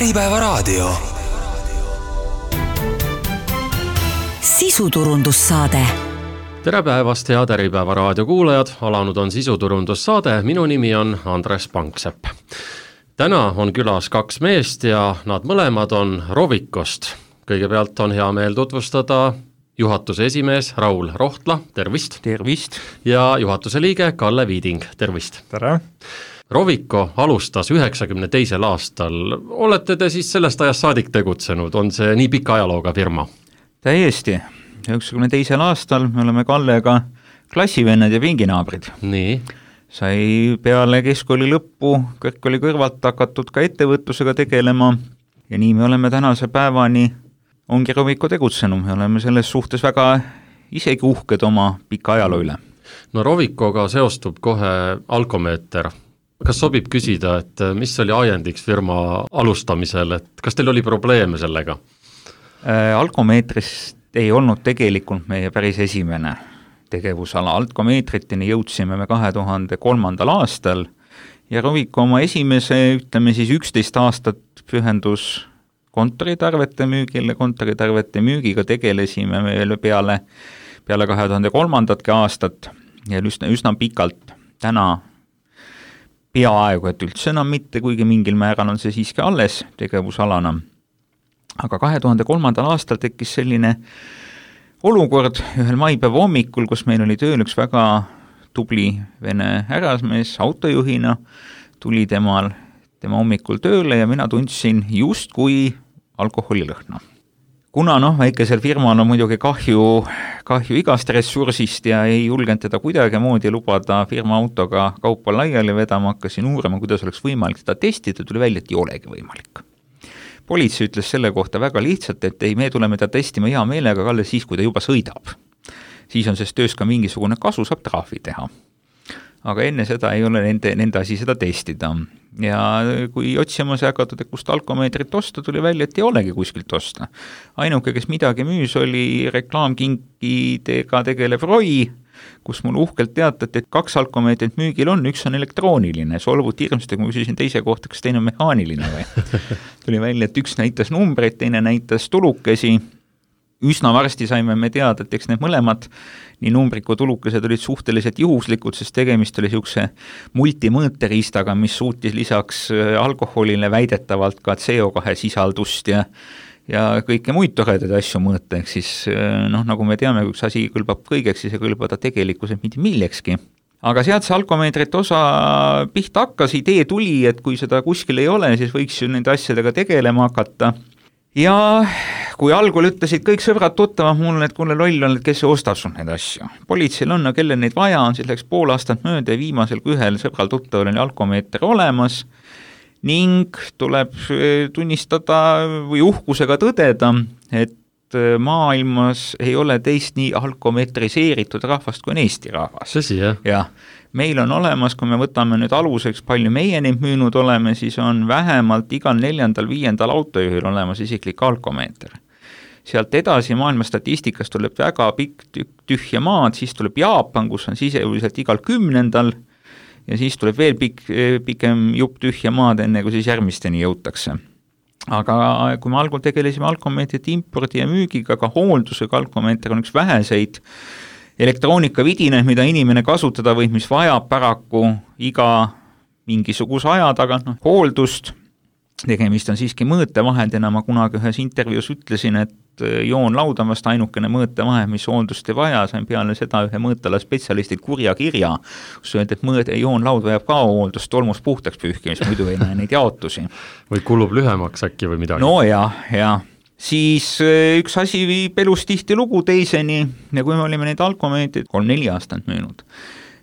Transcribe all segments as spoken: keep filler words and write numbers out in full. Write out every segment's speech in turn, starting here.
Äripäevaraadio. Sisuturundussaade. Tere päevast, head Äripäevaraadio kuulajad, alanud on sisuturundussaade, minu nimi on Andres Panksepp. Täna on külas kaks meest ja nad mõlemad on Rovicost. Kõigepealt on hea meel tutvustada juhatuse esimees Raul Rohtla, tervist. Tervist. Ja juhatuse liige Kalle Viiding, tervist. Tere. Rovico alustas üheksakümne teisel aastal. Olete te siis sellest ajast saadik tegutsenud? On see nii pika ajalooga firma? Täiesti. üheksakümne teisel aastal me oleme Kallega klassivennad ja pinginaabrid. Nii. Sai peale keskkooli lõppu kõrgkooli kõrvalt hakatud ka ettevõtlusega tegelema ja nii me oleme tänase päevani ongi Rovico tegutsenud. Me oleme selles suhtes väga isegi uhked oma pika ajaloo üle. No Rovicoga seostub kohe alkomeeter. Kas sobib küsida, et mis oli ajendiks firma alustamisel, et kas teil oli probleeme sellega? Äh, alkomeetrist ei olnud tegelikult meie päris esimene tegevusala. Alkomeetritini jõudsime me kahe tuhande kolmandal aastal ja Rovico oma esimese, ütleme siis üksteist aastat pühendus kontoritarvete müügile, kontoritarvete müügiga tegelesime veel peale, peale kahe tuhande kolmandatki aastat ja üsna, üsna pikalt. Täna peaaegu, et üldse enam mitte, kuigi mingil määral on see siiski alles tegevusalana. Aga kahe tuhande kolmandal aastal tekkis selline olukord ühel maipäeva hommikul, kus meil oli tööl üks väga tubli vene härrasmees autojuhina, tuli temal, tema hommikul tööle ja mina tundsin just kui alkoholilõhna. Kuna noh, väikesel firmal on muidugi kahju, kahju igast ressursist ja ei julgenud teda kuidagi moodi lubada firma autoga kaupa laiali vedama, hakkasin uurima, kuidas oleks võimalik seda testida, tuli välja, et ei olegi võimalik. Politsei ütles selle kohta väga lihtsalt, et ei, me tuleme ta testima hea meelega, Kalle, siis kui ta juba sõidab. Siis on sest töös ka mingisugune kasu, saab trahvi teha. Aga enne seda ei ole nende, nende asi seda testida. Ja kui otsima see hakatud, et kust alkomeetrit osta, tuli välja, et ei olegi kuskilt osta. Ainuke, kes midagi müüs, oli reklaamkinkidega tegelev Roi, kus mul uhkelt teatati, et kaks alkomeetrit müügil on, üks on elektrooniline, solvut hirmsasti, kui ma küsisin teise kohta, kas teine on mehaaniline või. Tuli välja, et üks näitas numbreid, teine näitas tulukesi. Üsna varsti saime me teada, et eks need mõlemad nii numbrid kui tulukesed olid suhteliselt juhuslikud, sest tegemist oli siukse multimõõteriistaga, mis suutis lisaks alkoholile väidetavalt ka C O kahe sisaldust ja ja kõike muid toredaid asju mõõta, ehk siis noh, nagu me teame, kui üks asi kõlbab kõigeks, siis ei kõlba ta tegelikkuselt mitte millekski. Aga sealt see alkomeetrit osa pihta hakkas, idee tuli, et kui seda kuskil ei ole, siis võiks ju nende asjadega tegelema hakata. Ja kui algul ütlesid kõik sõbrad tuttavad mulle, et kuule loll on, et kes ostab sul neid asju. Politseil on, kelle neid vaja on, siis läks pool aastat mööda ja viimasel kui ühel sõbral tuttaval oli alkomeeter olemas ning tuleb tunnistada või uhkusega tõdeda, et maailmas ei ole teist nii alkometriseeritud rahvast kui on Eesti rahvas. Tõsi, jah? Ja meil on olemas, kui me võtame nüüd aluseks, palju meie neid müünud oleme, siis on vähemalt igal neljandal, viiendal autojuhil olemas isiklik alkomeeter. Sealt edasi maailma statistikast tuleb väga pikk tühja maad, siis tuleb Jaapan, kus on siseuliselt igal kümnendal ja siis tuleb veel pik, pikem jupp tühja maad, enne kui siis järgmisteni jõutakse. Aga kui me algul tegelesime alkomeetrit impordi ja müügiga, ka hooldusega alkomeeter on üks väheseid elektroonikavidine, mida inimene kasutada võib, mis vajab paraku iga mingisuguse aja taga no, hooldust. Tegemist on siiski mõõtevahendina, ma kunagi ühes intervjuus ütlesin, et joonlaud on vast ainukene mõõtevahend, mis hooldust ei vaja, sain peale seda ühe mõõtala spetsialistilt kurja kirja, kus öeldi, et mõõde, joonlaud vajab ka hooldust, tolmus puhtaks pühkimist, muidu ei näe neid jaotusi. Või kulub lühemaks äkki või midagi? No jah, jah. Siis üks asi viib elus tihti lugu teiseni ja kui me olime neid alkomeetrid kolm-neli aastat müünud,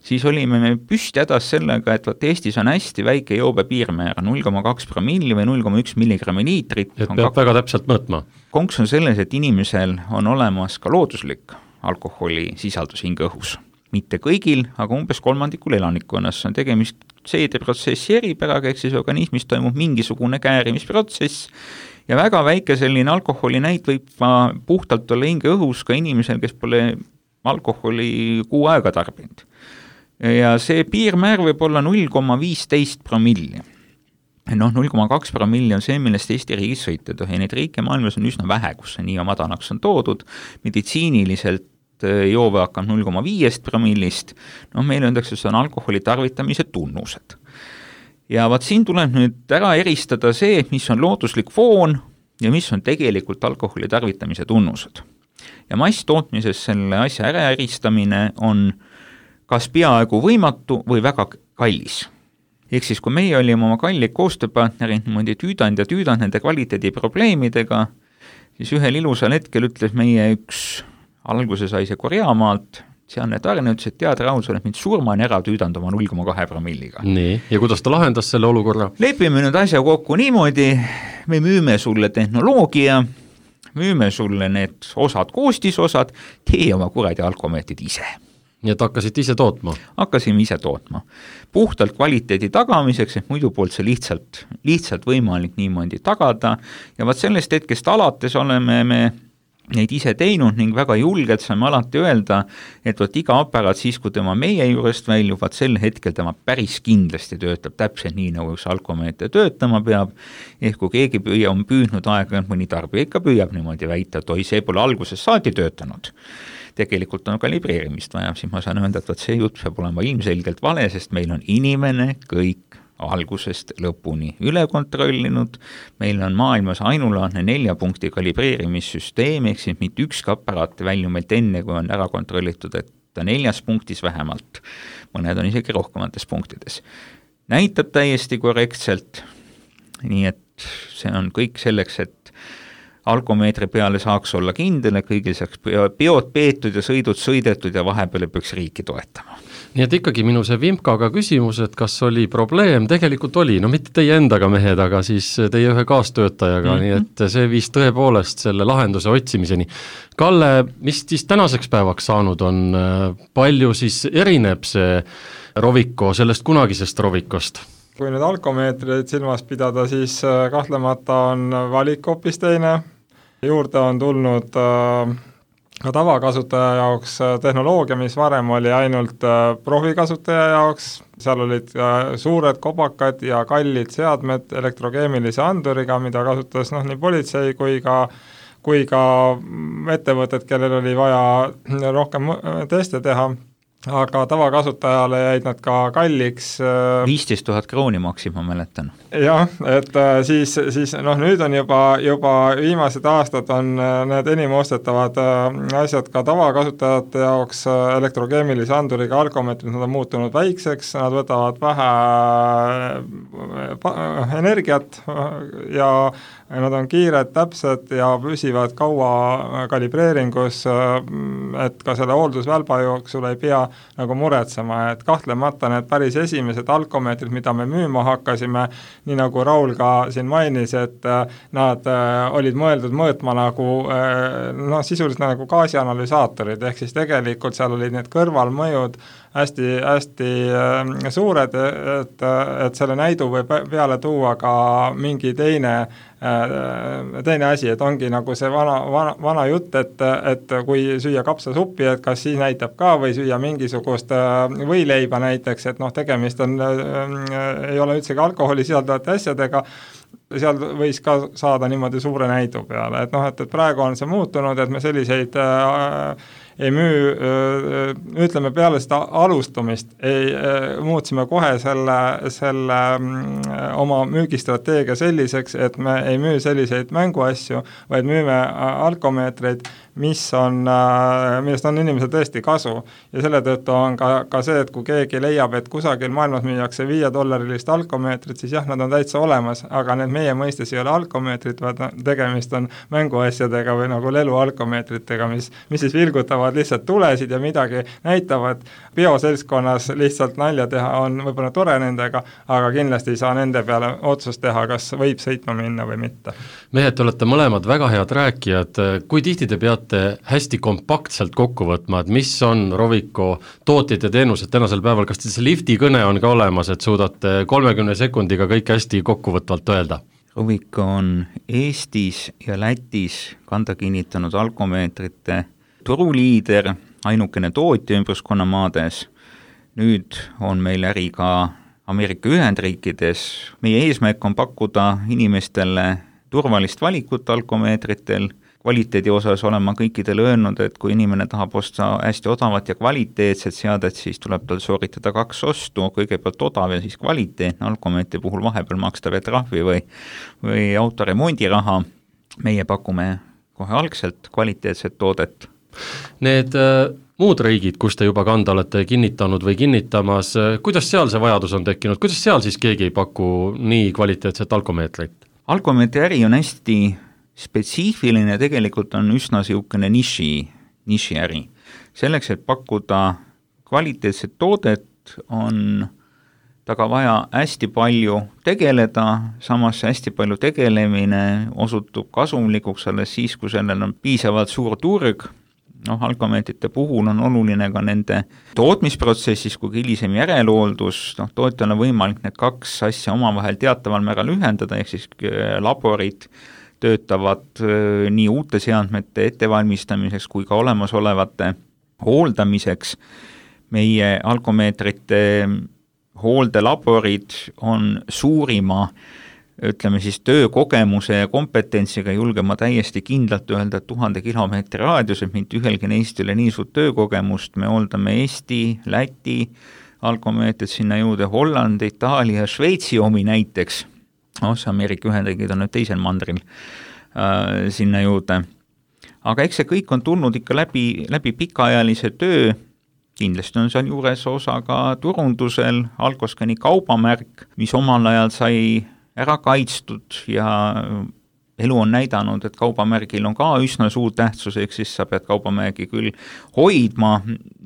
siis olime me püsti hädas sellega, et vaat Eestis on hästi väike joobe piirmäär, null koma kaks promilli või null koma üks milligrammi liitrit. Et peab kak... väga täpselt mõõtma. Konks on selles, et inimesel on olemas ka looduslik alkoholi sisaldus hinge õhus. Mitte kõigil, aga umbes kolmandikul elanikkonnas on tegemist seedeprotsessi eripäraga, ehk siis organismis toimub mingisugune käärimisprotsess ja väga väike selline alkoholi näit võib puhtalt olla hinge õhus ka inimesel, kes pole alkoholi kuu aega tarbinud. Ja see piirmäär võib olla null koma viisteist promilli. noh, null koma kaks promilli on see, millest Eesti riigis sõita ei tohi. Neid riike maailmas on üsna vähe, kus see nii madalaks on toodud. Meditsiiniliselt joove hakkab null koma viis promillist. No meil öeldakse, see on alkoholi tarvitamise tunnused. Ja vaat siin tuleb nüüd ära eristada see, mis on looduslik foon ja mis on tegelikult alkoholi tarvitamise tunnused. Ja masstootmises selle asja ära eristamine on kas peaaegu võimatu või väga kallis. Ehk siis, kui meie olime oma kallid koostööpartnerid niimoodi tüüdanud ja tüüdanud nende kvaliteedi probleemidega, siis ühel ilusal hetkel ütles meie üks, alguse sai see Koreamaalt, sealne tarne ütles, et tead, Raul, sa oled mind surmani ära tüüdanud oma null koma kaks promilliga. Nii, ja kuidas ta lahendas selle olukorra? Lepime nüüd asja kokku niimoodi, me müüme sulle tehnoloogia, müüme sulle need osad, koostisosad, tee oma kuradi alkomeetrid ise. Nii et hakkasid ise tootma? Hakkasime ise tootma. Puhtalt kvaliteedi tagamiseks, et muidu poolt see lihtsalt, lihtsalt võimalik niimoodi tagada. Ja vaat sellest hetkest alates oleme me neid ise teinud ning väga julgelt saame alati öelda, et vaat iga aparaat siis, kui tema meie juurest väljub, vaat sel hetkel tema päris kindlasti töötab täpselt nii, nagu üks alkomeeter töötama peab. Ehk kui keegi püüa, on püüdnud aega, mõni tarbija ikka püüab niimoodi väita, et oi, see pole alguses saati töötanud. Tegelikult on kalibreerimist vaja, siis ma saan öelda, et vaat see jutt peab olema ilmselgelt vale, sest meil on inimene kõik algusest lõpuni üle kontrollinud, meil on maailmas ainulaadne nelja punkti kalibreerimissüsteem, ehk siis mitte ükski aparaat välju meilt enne, kui on ära kontrollitud, et ta neljas punktis vähemalt, mõned on isegi rohkemates punktides. Näitab täiesti korrektselt, nii et see on kõik selleks, et alkomeetri peale saaks olla kindel, kõigil saaks peod peetud ja sõidud sõidetud ja vahepeal peaks riiki toetama. Nii et ikkagi minu see Vimkaga küsimus, et kas oli probleem, tegelikult oli, no mitte teie endaga mehed, aga siis teie ühe kaastöötajaga, mm-hmm. nii et see viis tõepoolest selle lahenduse otsimiseni. Kalle, mis siis tänaseks päevaks saanud on, palju siis erineb see Rovico sellest kunagisest Rovikost? Kui nüüd alkomeetreid silmas pidada, siis kahtlemata on valik hoopis teine. Juurde on tulnud ka tavakasutaja jaoks tehnoloogia, mis varem oli ainult profikasutaja jaoks. Seal olid suured kobakad ja kallid seadmed elektrokeemilise anduriga, mida kasutas noh, nii politsei kui ka, kui ka ettevõtted, kellel oli vaja rohkem teste teha. Aga tavakasutajale jäid nad ka kalliks. viisteist tuhat krooni maksid, ma mäletan. Jah, et siis, siis noh, nüüd on juba, juba viimased aastad on need enim ostetavad asjad ka tavakasutajate jaoks elektrokeemilise anduriga alkomeetrid, nad on muutunud väikseks, nad võtavad vähe energiat ja nad on kiired, täpsed ja püsivad kaua kalibreeringus, et ka selle hooldusvälba jooksul ei pea nagu muretsema, et kahtlemata need päris esimesed alkomeetrid, mida me müüma hakkasime, nii nagu Raul ka siin mainis, et nad olid mõeldud mõõtma nagu, noh, sisuliselt nagu gaasianalüsaatorid, ehk siis tegelikult seal olid need kõrvalmõjud hästi, hästi suured, et, et selle näidu võib peale tuua ka mingi teine teine asi, et ongi nagu see vana, vana, vana jutt, et, et kui süüa kapsasuppi, et kas siis näitab ka või süüa mingisugust võileiba näiteks, et noh, tegemist on, ei ole üldsegi alkoholi sisaldavate asjadega, seal võis ka saada niimoodi suure näidu peale, et noh, et, et praegu on see muutunud, et me selliseid äh, ei müü, ütleme peale seda alustumist, ei, muutsime kohe selle, selle oma müügistrateegia selliseks, et me ei müü selliseid mänguasju, vaid müüme alkomeetreid, mis on, millest on inimesel tõesti kasu. Ja selle tõttu on ka, ka see, et kui keegi leiab, et kusagil maailmas müüakse viie dollarilist alkomeetrit, siis jah, nad on täitsa olemas, aga need meie mõistes ei ole alkomeetrid, vaid tegemist on mänguasjadega või nagu lelu alkomeetritega, mis, mis siis vilgutavad lihtsalt tulesid ja midagi näitavad. Bioseltskonnas lihtsalt nalja teha on võib-olla tore nendega, aga kindlasti ei saa nende peale otsust teha, kas võib sõitma minna või mitte. Mehed, te olete mõlemad väga head rääkijad. Kui tihti te peate hästi kompaktselt kokku võtma, et mis on Rovico tooted ja teenused tänasel päeval, kas see lifti kõne on ka olemas, et suudate kolmekümne sekundiga kõik hästi kokkuvõtvalt öelda? Rovico on Eestis ja Lätis kanda kinnitanud alkomeetrite turuliider, ainukene tootja ümbruskonna maades. Nüüd on meil äri ka Ameerika Ühendriikides. Meie eesmärk on pakkuda inimestele turvalist valikut alkomeetritel. Kvaliteedi osas olen ma kõikidele öelnud, et kui inimene tahab osta hästi odavat ja kvaliteetset seadet, siis tuleb tal sooritada kaks ostu, kõigepealt odav ja siis kvaliteetne. Alkomeetri puhul vahepeal maksta veel trahvi või, või autoremondiraha. Meie pakume kohe algselt kvaliteetset toodet. Need äh, muud riigid, kus te juba kanda olete kinnitanud või kinnitamas, kuidas seal see vajadus on tekkinud, kuidas seal siis keegi ei paku nii kvaliteetset alkomeetrit? Alkomeetri äri on hästi spetsiifiline, tegelikult on üsna siukene niši, niši äri. Selleks, et pakkuda kvaliteetset toodet, on taga vaja hästi palju tegeleda, samas hästi palju tegelemine osutub kasumlikuks alles siis, kui sellel on piisavalt suur turg. Noh, alkomeetrite puhul on oluline ka nende tootmisprotsessis, kui hilisem järelhooldus, noh, tootjal on võimalik need kaks asja omavahel teataval määral ühendada, ehk siis laborid töötavad nii uute seadmete ettevalmistamiseks kui ka olemasolevate hooldamiseks. Meie alkomeetrite hooldelaborid on suurima, ütleme siis töökogemuse ja kompetentsiga, julgema täiesti kindlalt öelda, et tuhande kilomeetri raadius, et mitte ühelgi neist üle nii suurt töökogemust. Me hooldame Eesti, Läti alkomeetrid, sinna juurde Hollandi, Itaalia, Šveitsi omi näiteks. Osa Ameerika Ühendriigid on nüüd teisel mandril äh, sinna juurde. Aga eks see kõik on tulnud ikka läbi, läbi pikaajalise töö. Kindlasti on seal juures osa ka turundusel, Alkoskani kaubamärk, mis omal ajal sai ära kaitstud ja elu on näidanud, et kaubamärgil on ka üsna suur tähtsus, ehk siis sa pead kaubamärgi küll hoidma,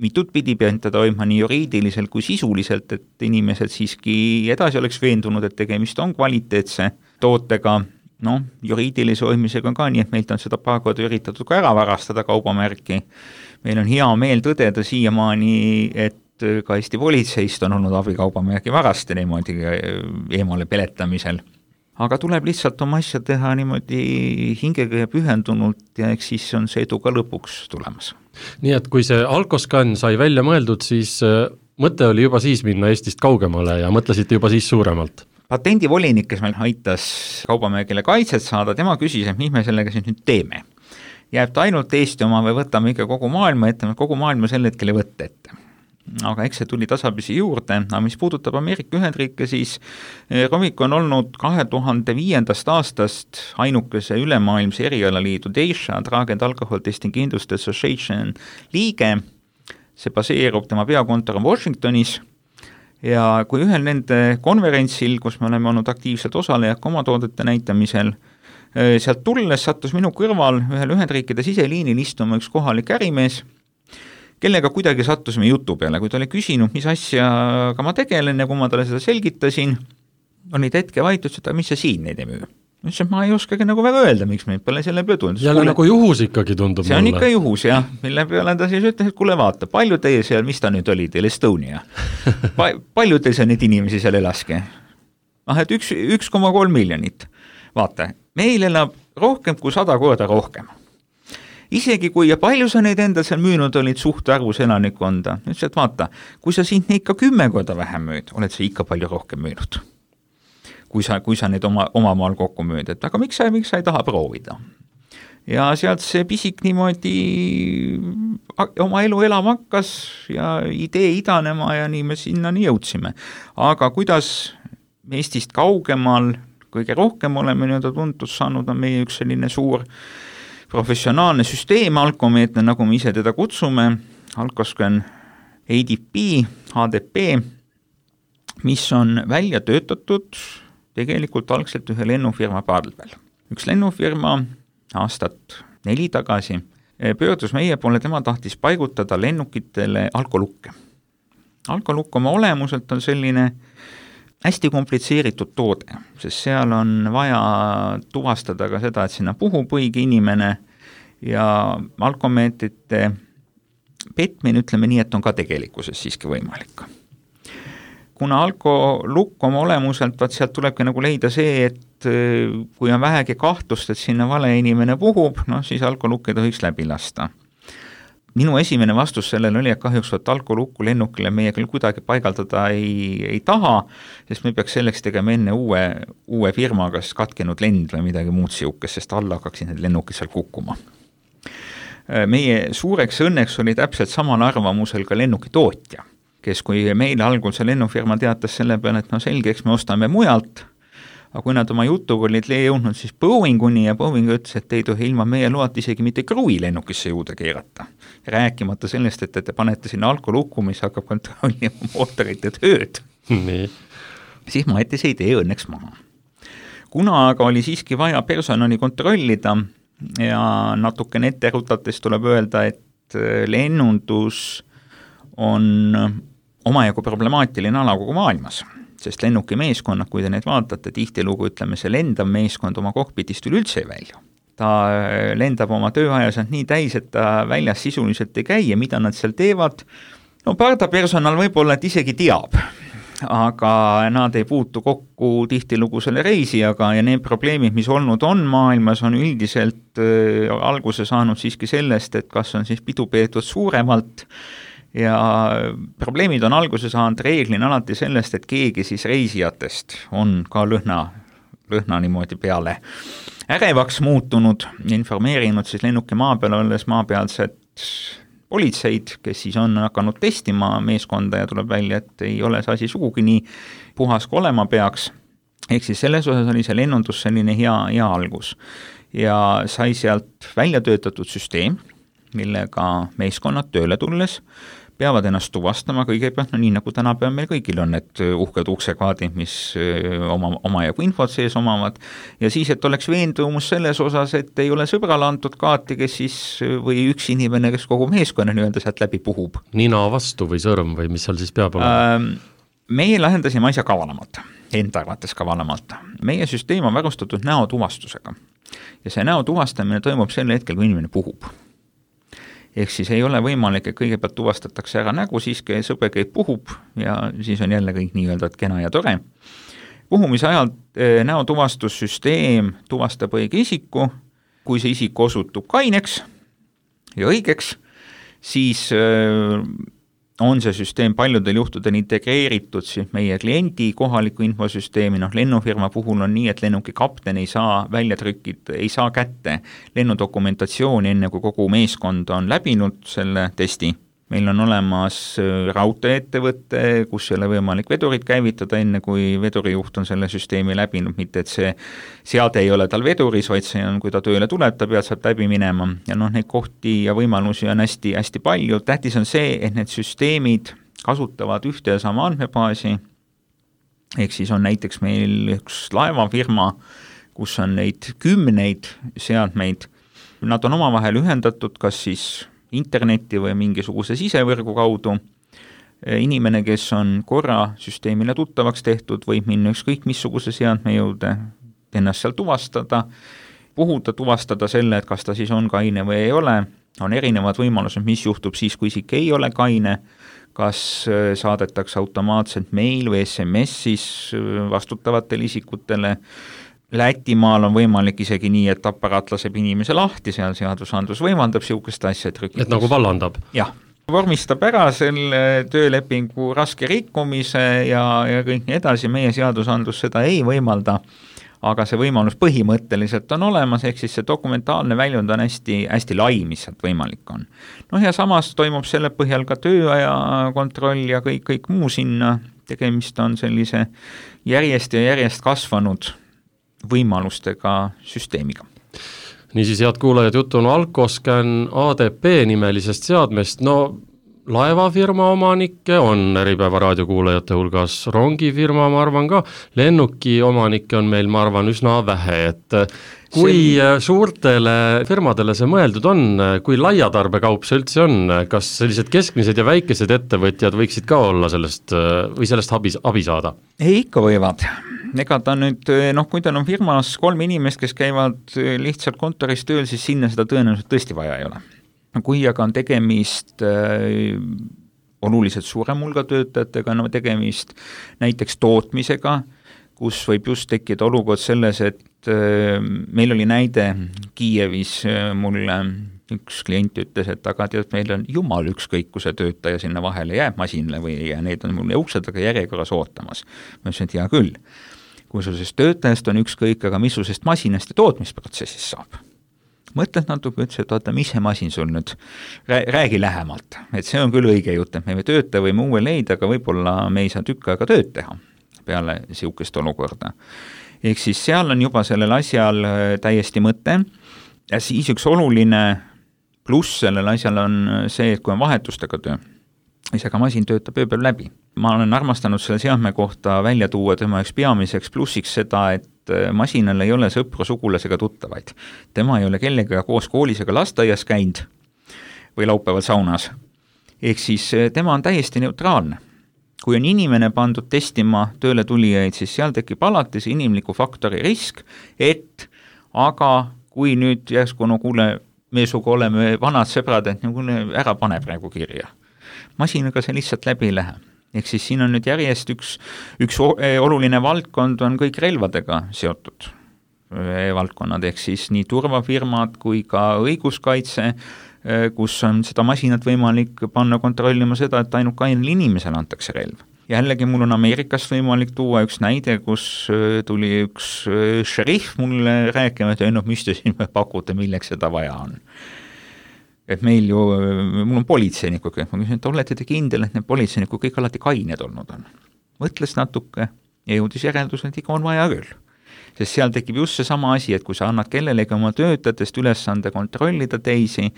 mitut pidi pead teda hoidma nii juriidiliselt kui sisuliselt, et inimesed siiski edasi oleks veendunud, et tegemist on kvaliteetse tootega, noh, juriidilise hoidmisega ka, nii et meilt on seda paar korda üritatud ka ära varastada kaubamärki. Meil on hea meel tõdeda siiamaani, et ka Eesti politseist on olnud abikaubamärgi varaste niimoodi eemale peletamisel. Aga tuleb lihtsalt oma asja teha niimoodi hingega ja pühendunult ja eks siis on see edu ka lõpuks tulemas. Nii et kui see Alkoscan sai välja mõeldud, siis mõte oli juba siis minna Eestist kaugemale ja mõtlesite juba siis suuremalt? Patendivolinik, kes meil aitas kaubamärgile kaitset saada, tema küsis, et mis me sellega siis nüüd teeme. Jääb ta ainult Eesti oma või võtame ikka kogu maailma ette, kogu maailma sel hetkel ei võtta ette. Aga eks see tuli tasapisi juurde, aga mis puudutab Ameerika Ühendriike, siis Rovico on olnud kahe tuhande viiendast aastast ainukese ülemaailmse erialaliidu D E S H A, Drug and Alcohol Testing Industry Association liige. See baseerub, tema peakontor on Washingtonis ja kui ühel nende konverentsil, kus me oleme olnud aktiivselt osalejad oma toodete näitamisel, sealt tulles sattus minu kõrval ühel Ühendriikide siseliinil istuma üks kohalik ärimees, kellega kuidagi sattusime jutu peale, kui ta oli küsinud, mis asjaga ma tegelen ja kui ma talle seda selgitasin, oli ta hetke vaitus, et mis sa siin neid ei müü. Ütles, et ma ei oskagi nagu väga öelda, miks me peale selle peale tulnud. Jälle nagu juhus ikkagi tundub see on mulle. Ikka juhus, jah, mille peale ta siis ütles, et kuule vaata, palju teie seal, mis ta nüüd oli teil, Estonia? Pa, palju teil seal neid inimesi seal elaski? Ah, et üks, üks koma kolm miljonit. Vaata, meil elab rohkem kui sada korda rohkem. Isegi kui ja palju sa neid endal seal müünud olid suht arvus elanikkonda, ütles, et vaata, kui sa siin ikka kümme korda vähem müüd, oled sa ikka palju rohkem müünud, kui sa, kui sa neid oma, oma maal kokku müüd, et aga miks sa, miks sa ei taha proovida? Ja sealt see pisik niimoodi oma elu elama hakkas ja idee idanema ja nii me sinnani jõudsime. Aga kuidas Eestist kaugemal kõige rohkem oleme nii-öelda tuntust saanud, on meie üks selline suur professionaalne süsteem, alkomeetne, nagu me ise teda kutsume, Alkoscan A D P, H D P, mis on välja töötatud tegelikult algselt ühe lennufirma pardal. Üks lennufirma aastat neli tagasi pöördus meie poole, tema tahtis paigutada lennukitele alkolukke. Alkolukk oma olemuselt on selline hästi komplitseeritud toode, sest seal on vaja tuvastada ka seda, et sinna puhub õige inimene ja alkomeetrite petmine, ütleme nii, et on ka tegelikkuses siiski võimalik. Kuna alkolukk oma olemuselt, vaat sealt tulebki nagu leida see, et kui on vähegi kahtlust, et sinna vale inimene puhub, no siis alkolukk ei tohiks läbi lasta. minu esimene vastus sellele oli, et kahjuks võt alkolukku lennukile meie küll kuidagi paigaldada ei, ei taha, sest me peaks selleks tegema enne uue, uue firma, kas katkenud lend või midagi muud siukest, sest alla hakkaksid need lennukid seal kukkuma. Meie suureks õnneks oli täpselt samal arvamusel ka lennukitootja, kes kui meile algul see lennufirma teatas selle peale, et no selge, eks me ostame mujalt, aga kui nad oma jutuga olid jõudnud siis Boeinguni ja Boeing ütles, et ei tohi ilma meie loat isegi mitte kruvi lennukisse juurde keerata. Rääkimata sellest, et te panete sinna alkolukku, mis hakkab kontrollima mootorite tööd. Nii. Siis ma jätti see idee õnneks maha. Kuna aga oli siiski vaja personali kontrollida ja natukene ette rutates tuleb öelda, et lennundus on omajagu problemaatiline ala kogu maailmas, sest lennuki meeskonnad, kui te neid vaatate, tihtilugu ütleme, see lendav meeskond oma kokpitist üleüldse ei välju. Ta lendab oma tööajasand nii täis, et ta väljas sisuliselt ei käi ja mida nad seal teevad. No parda personal võib-olla, et isegi teab, aga nad ei puutu kokku tihtilugu selle reisijaga ja need probleemid, mis olnud on maailmas, on üldiselt äh, alguse saanud siiski sellest, et kas on siis pidu peetud suuremalt ja probleemid on alguse saanud reeglina alati sellest, et keegi siis reisijatest on ka lõhna, lõhna niimoodi peale ärevaks muutunud, informeerinud siis lennuki maa peal olles maapealset politseid, kes siis on hakanud testima meeskonda ja tuleb välja, et ei ole see asi sugugi nii puhas kui olema peaks. Ehk siis selles osas oli see lennundus selline hea, hea algus ja sai sealt välja töötatud süsteem, millega meeskonnad tööle tulles peavad ennast tuvastama kõigepealt, no nii nagu tänapäeval meil kõigil on need uhked uksekvaadid, mis oma, oma jagu infot sees omavad, ja siis, et oleks veendumus selles osas, et ei ole sõbrale antud kaati, kes siis, või üks inimene, kes kogu meeskonna nii-öelda sealt läbi puhub. Nina vastu või sõrm või mis seal siis peab olema? Ähm, meie lahendasime asja kavalamalt, enda arvates kavalamalt. Meie süsteem on varustatud näotuvastusega ja see näotuvastamine toimub sel hetkel, kui inimene puhub. Ehk siis ei ole võimalik, et kõigepealt tuvastatakse ära nägu, siis sõber käib puhub ja siis on jälle kõik nii-öelda kena ja tore. Puhumise ajal näotuvastussüsteem tuvastab õige isiku, kui see isik osutub kaineks ja õigeks, siis on see süsteem paljudel juhtudel integreeritud siis meie kliendi kohaliku infosüsteemi, noh lennufirma puhul on nii, et lennuki kapten ei saa välja trükid, ei saa kätte lennudokumentatsiooni enne, kui kogu meeskond on läbinud selle testi. Meil on olemas raudteeettevõte, kus ei ole võimalik vedurit käivitada enne, kui vedurijuht on selle süsteemi läbinud, mitte et see seade ei ole tal veduris, vaid see on, kui ta tööle tuleb, ta peab sealt läbi minema. Ja noh, neid kohti ja võimalusi on hästi, hästi palju. Tähtis on see, et need süsteemid kasutavad ühte ja sama andmebaasi. Ehk siis on näiteks meil üks laevafirma, kus on neid kümneid seadmeid. Nad on omavahel ühendatud, kas siis interneti või mingisuguse sisevõrgu kaudu. Inimene, kes on korra süsteemile tuttavaks tehtud, võib minna ükskõik missuguse seadme jõude, ennast seal tuvastada, puhuda tuvastada selle, et kas ta siis on kaine või ei ole. On erinevad võimalused, mis juhtub siis, kui isik ei ole kaine, kas saadetakse automaatselt meil või S M S siis vastutavatele isikutele. Lätimaal on võimalik isegi nii, et aparaat laseb inimese lahti, seal seadusandlus võimaldab siukest asja. Et, et nagu vallandab? Jah, vormistab ära selle töölepingu raske rikkumise ja, ja kõik nii edasi, meie seadusandlus seda ei võimalda, aga see võimalus põhimõtteliselt on olemas, ehk siis see dokumentaalne väljund on hästi, hästi lai, mis sealt võimalik on. Noh ja samas toimub selle põhjal ka tööaja kontroll ja kõik, kõik muu sinna, tegemist on sellise järjest ja järjest kasvanud võimalustega süsteemiga. Niisiis, head kuulajad, juttu on Alcoscan A D P nimelisest seadmest. No laevafirma omanikke on Äripäeva raadiokuulajate hulgas, rongifirma, ma arvan ka, lennuki omanikke on meil, ma arvan, üsna vähe, et kui see... suurtele firmadele see mõeldud on, kui laiatarbekaup see üldse on, kas sellised keskmised ja väikesed ettevõtjad võiksid ka olla sellest või sellest abi, abi saada? Ei, ikka võivad. Ega ta nüüd, noh, kui tal on firmas kolm inimest, kes käivad lihtsalt kontoris tööl, siis sinna seda tõenäoliselt tõesti vaja ei ole. Kui aga on tegemist äh, oluliselt suurem hulga töötajatega, no tegemist näiteks tootmisega, kus võib just tekkida olukord selles, et äh, meil oli näide Kiievis äh, mulle üks klient ütles, et aga tead, meil on jumal ükskõik, kui see töötaja sinna vahele jääb masinale või ja need on mul ukse taga järjekorras ootamas. Ma ütlesin, et hea küll, kui sul sellest töötajast on ükskõik, aga mis sul sellest masinast ja tootmisprotsessist saab? Mõtled natuke, ütles, et oota, mis see masin sul nüüd, räägi lähemalt, et see on küll õige jutt, et me või tööta võime uue leida, aga võib-olla me ei saa tükk aega tööd teha peale siukest olukorda. Ehk siis seal on juba sellel asjal täiesti mõte ja siis üks oluline pluss sellel asjal on see, et kui on vahetustega töö, siis aga masin töötab ööpäev läbi. Ma olen armastanud selle seadme kohta välja tuua tema üks peamiseks plussiks seda, et masinal ei ole sõpru, sugulasega tuttavaid. Tema ei ole kellega koos koolis ega lasteaias käinud või laupäeval saunas. Ehk siis tema on täiesti neutraalne. Kui on inimene pandud testima tööle tulijaid, siis seal tekib alati see inimliku faktori risk, et aga kui nüüd järsku, no kuule, me suga oleme vanad sõbrad, et no kuule, ära pane praegu kirja. Masinaga see lihtsalt läbi ei lähe. Ehk siis siin on nüüd järjest üks, üks oluline valdkond on kõik relvadega seotud valdkonnad, ehk siis nii turvafirmad kui ka õiguskaitse, kus on seda masinat võimalik panna kontrollima seda, et ainult kainel inimesel antakse relv. Jällegi mul on Ameerikast võimalik tuua üks näide, kus tuli üks šerif mulle rääkima, et no mis te siin pakute, milleks seda vaja on. Et meil ju, mul on politseinikud, ma küsin, et olete te kindel, et need politseinikud kõik alati kained olnud on. Mõtles natuke ja jõudis järeldusel, et ikka on vaja küll. Sest seal tekib just see sama asi, et kui sa annad kellelegi oma töötajatest ülesande kontrollida teisi,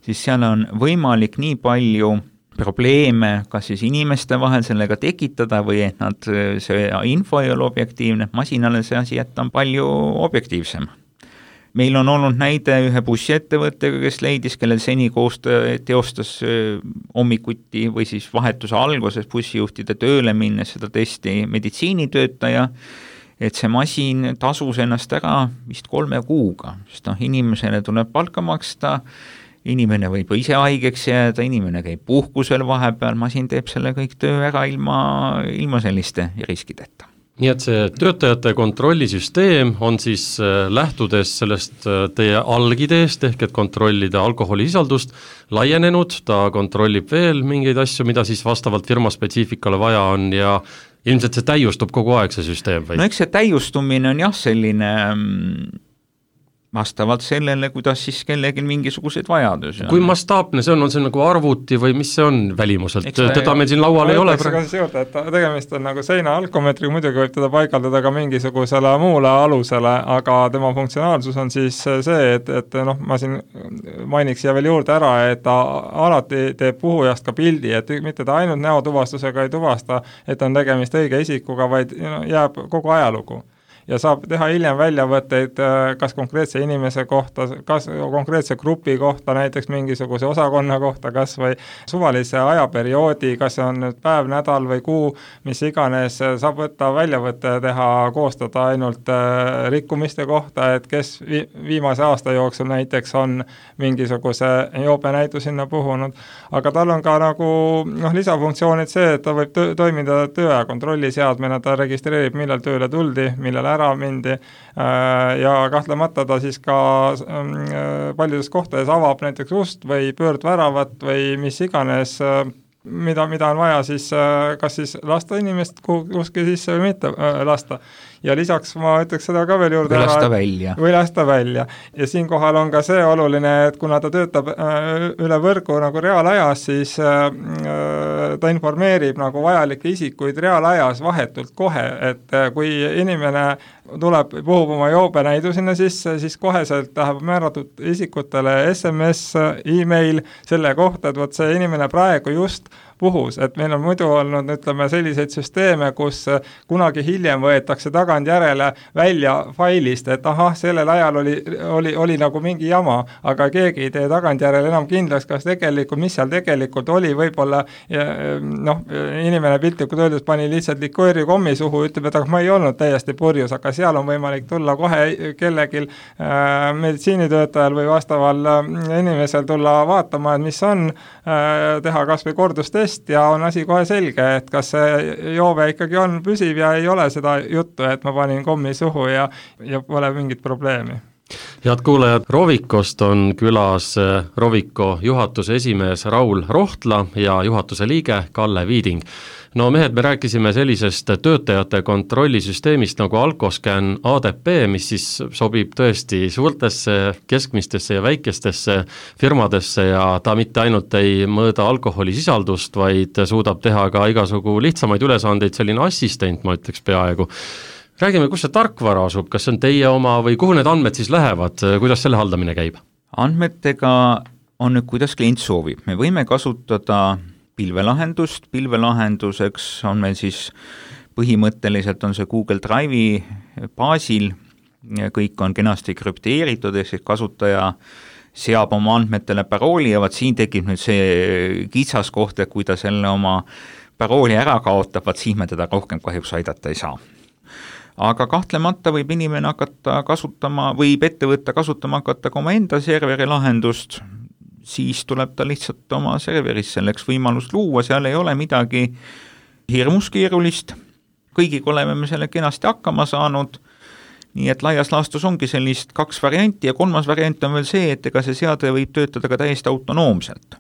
siis seal on võimalik nii palju probleeme, kas siis inimeste vahel sellega tekitada või et nad, see info ei ole objektiivne, masinale see asi jätta on palju objektiivsem. Meil on olnud näide ühe bussiettevõttega, kes leidis, kellel seni koostöö teostas hommikuti või siis vahetuse alguses bussijuhtide tööle minnes seda testi meditsiinitöötaja, et see masin tasus ennast ära vist kolme kuuga, sest noh, inimesele tuleb palka maksta, inimene võib ise haigeks jääda, inimene käib puhkusel vahepeal, masin teeb selle kõik töö ära ilma, ilma selliste riskideta. Nii et see töötajate kontrollisüsteem on siis lähtudes sellest teie algideest, ehk et kontrollida alkoholisisaldust, laienenud, ta kontrollib veel mingeid asju, mida siis vastavalt firma spetsiifikale vaja on ja ilmselt see täiustub kogu aeg see süsteem või? No eks see täiustumine on jah selline vastavalt sellele, kuidas siis kellelgi mingisugused vajadusi on. Kui mastaapne see on, on see nagu arvuti või mis see on välimuselt? Eks teda meil siin laual ei ole. Ka siis juurde, et tegemist on nagu seina alkomeetriga, muidugi võib teda paigaldada ka mingisugusele muule alusele, aga tema funktsionaalsus on siis see, et, et noh, ma siin mainiks siia veel juurde ära, et ta alati teeb puhujast ka pildi, et mitte ta ainult näotuvastusega ei tuvasta, et on tegemist õige isikuga, vaid jääb kogu ajalugu. Ja saab teha hiljem väljavõtteid kas konkreetse inimese kohta, kas konkreetse grupi kohta, näiteks mingisuguse osakonna kohta, kas või suvalise ajaperioodi, kas on nüüd päev, nädal või kuu, mis iganes, saab võtta väljavõtte teha, koostada ainult rikkumiste kohta, et kes viimase aasta jooksul näiteks on mingisuguse joobenäitu sinna puhunud. Aga tal on ka nagu noh, lisafunktsioonid see, et ta võib tö- toimida tööaja kontrolliseadmena, ta registreerib, millal tööle tuldi, millal ära mindi ja kahtlemata ta siis ka paljudes kohtades avab näiteks ust või pöördväravat või mis iganes, mida, mida on vaja siis kas siis lasta inimest kuhugi sisse või mitte lasta. Ja lisaks ma ütleks seda ka veel juurde. Või lasta välja. Või lasta välja. Ja siinkohal on ka see oluline, et kuna ta töötab üle võrgu nagu reaalajas, siis ta informeerib nagu vajalikke isikuid reaalajas vahetult kohe, et kui inimene tuleb, puhub oma joobenäidu sinna sisse, siis koheselt läheb määratud isikutele S M S, e-mail selle kohta, et võt see inimene praegu just puhus, et meil on muidu olnud, ütleme, selliseid süsteeme, kus kunagi hiljem võetakse tagantjärele välja failist, et ahah, sellel ajal oli, oli, oli nagu mingi jama, aga keegi ei tee tagantjärele enam kindlaks, kas tegelikult, mis seal tegelikult oli, võib-olla noh, inimene piltlikult öeldes pani lihtsalt likööri kommi suhu, ütleb, et aga ma ei olnud täiesti purjus, aga seal on võimalik tulla kohe kellegil äh, meditsiinitöötajal või vastaval äh, inimesel tulla vaatama, et mis on, äh, teha kas või kordustest ja on asi kohe selge, et kas see joove ikkagi on püsiv ja ei ole seda juttu, et ma panin kommi suhu ja, ja pole mingit probleemi. Head kuulajad, Rovicost on külas Rovico juhatuse esimees Raul Rohtla ja juhatuse liige Kalle Viiding. No mehed, me rääkisime sellisest töötajate kontrollisüsteemist nagu Alcoscan A D P, mis siis sobib tõesti suurtesse, keskmistesse ja väikestesse firmadesse ja ta mitte ainult ei mõõda alkoholisisaldust, vaid suudab teha ka igasugu lihtsamaid ülesandeid, selline assistent, ma ütleks peaaegu. Räägime, kus see tarkvara asub, kas see on teie oma või kuhu need andmed siis lähevad, kuidas selle haldamine käib? Andmetega on nüüd, kuidas klient soovib. Me võime kasutada pilvelahendust, pilvelahenduseks on meil siis põhimõtteliselt on see Google Drive'i baasil, kõik on kenasti krüpteeritud, ehk siis kasutaja seab oma andmetele parooli ja vaat siin tekib nüüd see kitsaskoht, et kui ta selle oma parooli ära kaotab, vaat siis me teda rohkem kahjuks aidata ei saa. Aga kahtlemata võib inimene hakata kasutama, võib ettevõtte kasutama hakata ka oma enda serveri lahendust, siis tuleb ta lihtsalt oma serveris selleks võimalust luua, seal ei ole midagi hirmus keerulist, kõigiga oleme me selle kenasti hakkama saanud, nii et laias laastus ongi sellist kaks varianti ja kolmas variant on veel see, et ega see seade võib töötada ka täiesti autonoomselt.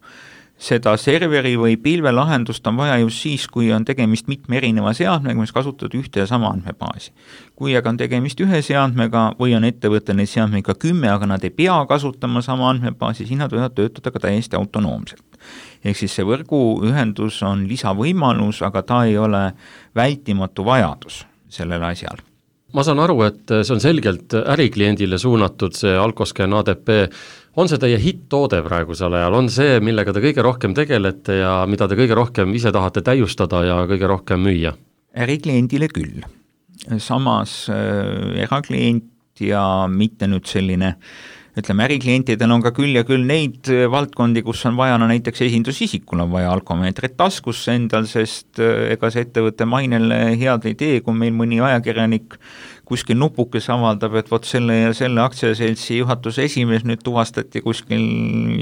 Seda serveri või pilvelahendust on vaja just siis, kui on tegemist mitme erineva seadmega, mis kasutavad ühte ja sama andmebaasi. Kui aga on tegemist ühe seadmega või on ettevõte neid seadmega kümme, aga nad ei pea kasutama sama andmebaasi, siis nad võivad töötada ka täiesti autonoomselt. Ehk siis see võrguühendus on lisavõimalus, aga ta ei ole vältimatu vajadus sellel asjal. Ma saan aru, et see on selgelt ärikliendile suunatud, see Alcoscan A D P. On see teie hitt-toode praegusel ajal? On see, millega te kõige rohkem tegelete ja mida te kõige rohkem ise tahate täiustada ja kõige rohkem müüa? Ärikliendile küll. Samas äh, eraklient ja mitte nüüd selline, ütleme, äriklientidel on ka küll ja küll neid valdkondi, kus on vaja, no näiteks esindusisikul on vaja alkomeetrit taskusse endal, sest ega see ettevõtte mainele head ei tee, kui meil mõni ajakirjanik kuskil nupukes avaldab, et vot selle ja selle aktsiaseltsi juhatuse esimees nüüd tuvastati kuskil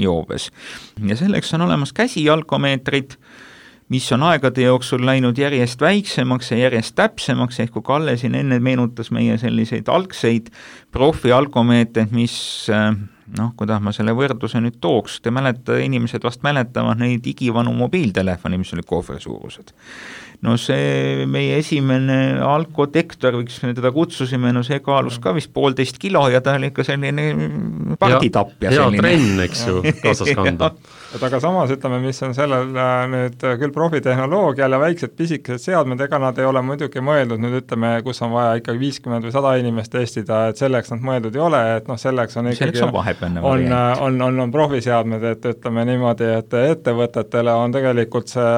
joobes. Ja selleks on olemas käsialkomeetrid, mis on aegade jooksul läinud järjest väiksemaks ja järjest täpsemaks, ehk kui Kalle siin enne meenutas meie selliseid algseid profialkomeetreid, mis, noh, kuidas ma selle võrdluse nüüd tooks, te mäleta, inimesed vast mäletavad neid igivanu mobiiltelefoni, mis oli kohvri suurused. No see meie esimene alkotektor, võiks me teda kutsusime, no see kaalus ka vist poolteist kilo ja ta oli ikka selline partitapp. Ja, hea trenn, eks ju, kaasas kanda. Et aga samas ütleme, mis on sellel nüüd küll profitehnoloogial ja väiksed pisikesed seadmed, ega nad ei ole muidugi mõeldud, nüüd ütleme, kus on vaja ikkagi viiskümmend või sada inimest testida, et selleks nad mõeldud ei ole, et noh, selleks on ikkagi selleks on vahepealne on, on, on, on profiseadmed, et ütleme niimoodi, et ettevõtetele on tegelikult see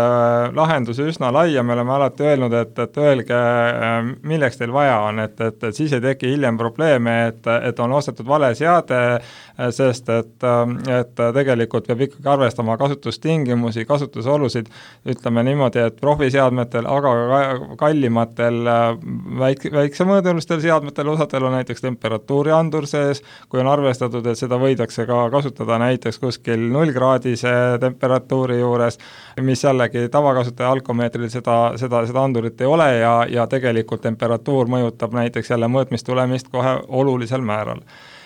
lahendus üsna lai ja me oleme alati öelnud, et, et öelge, milleks teil vaja on, et, et, et siis ei teki hiljem probleeme, et, et on ostetud vale seade, sest et, et tegelikult peab ikkagi arvestama kasutustingimusi, kasutusolusid, ütleme niimoodi, et profiseadmetel, aga kallimatel väik, väiksemõõdulistel seadmetel, osadel on näiteks temperatuuriandur sees, kui on arvestatud, et seda võidakse ka kasutada näiteks kuskil nullkraadise temperatuuri juures, mis jällegi tavakasutaja alkomeetril seda, seda, seda andurit ei ole ja, ja tegelikult temperatuur mõjutab näiteks jälle mõõtmistulemist kohe olulisel määral.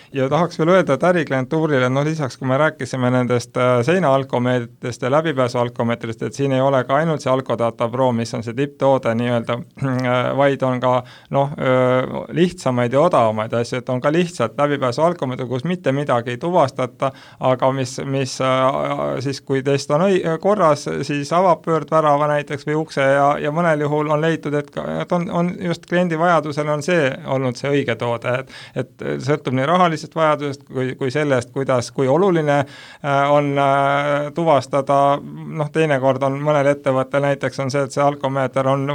Ja tahaks veel öelda, et äriklientuurile, no lisaks, kui me rääkisime nendest seinaalkomeetritest ja läbipääsualkomeetrist, et siin ei ole ka ainult see Alkodata Pro, mis on see tipptoode nii-öelda, vaid on ka noh, lihtsamaid ja odavamaid asju, et on ka lihtsalt läbipääsualkomeetri, kus mitte midagi ei tuvastata, aga mis, mis siis kui test on õi, korras, siis avab pöördvärava näiteks või ukse ja, ja mõnel juhul on leitud, et, et on, on just kliendi vajadusel on see olnud see õige toode, et, et sõltub nii rahalisest vajadusest kui, kui sellest, kuidas, kui oluline on tuvastada, noh teinekord on mõnel ettevõttel näiteks on see, et see alkomeeter on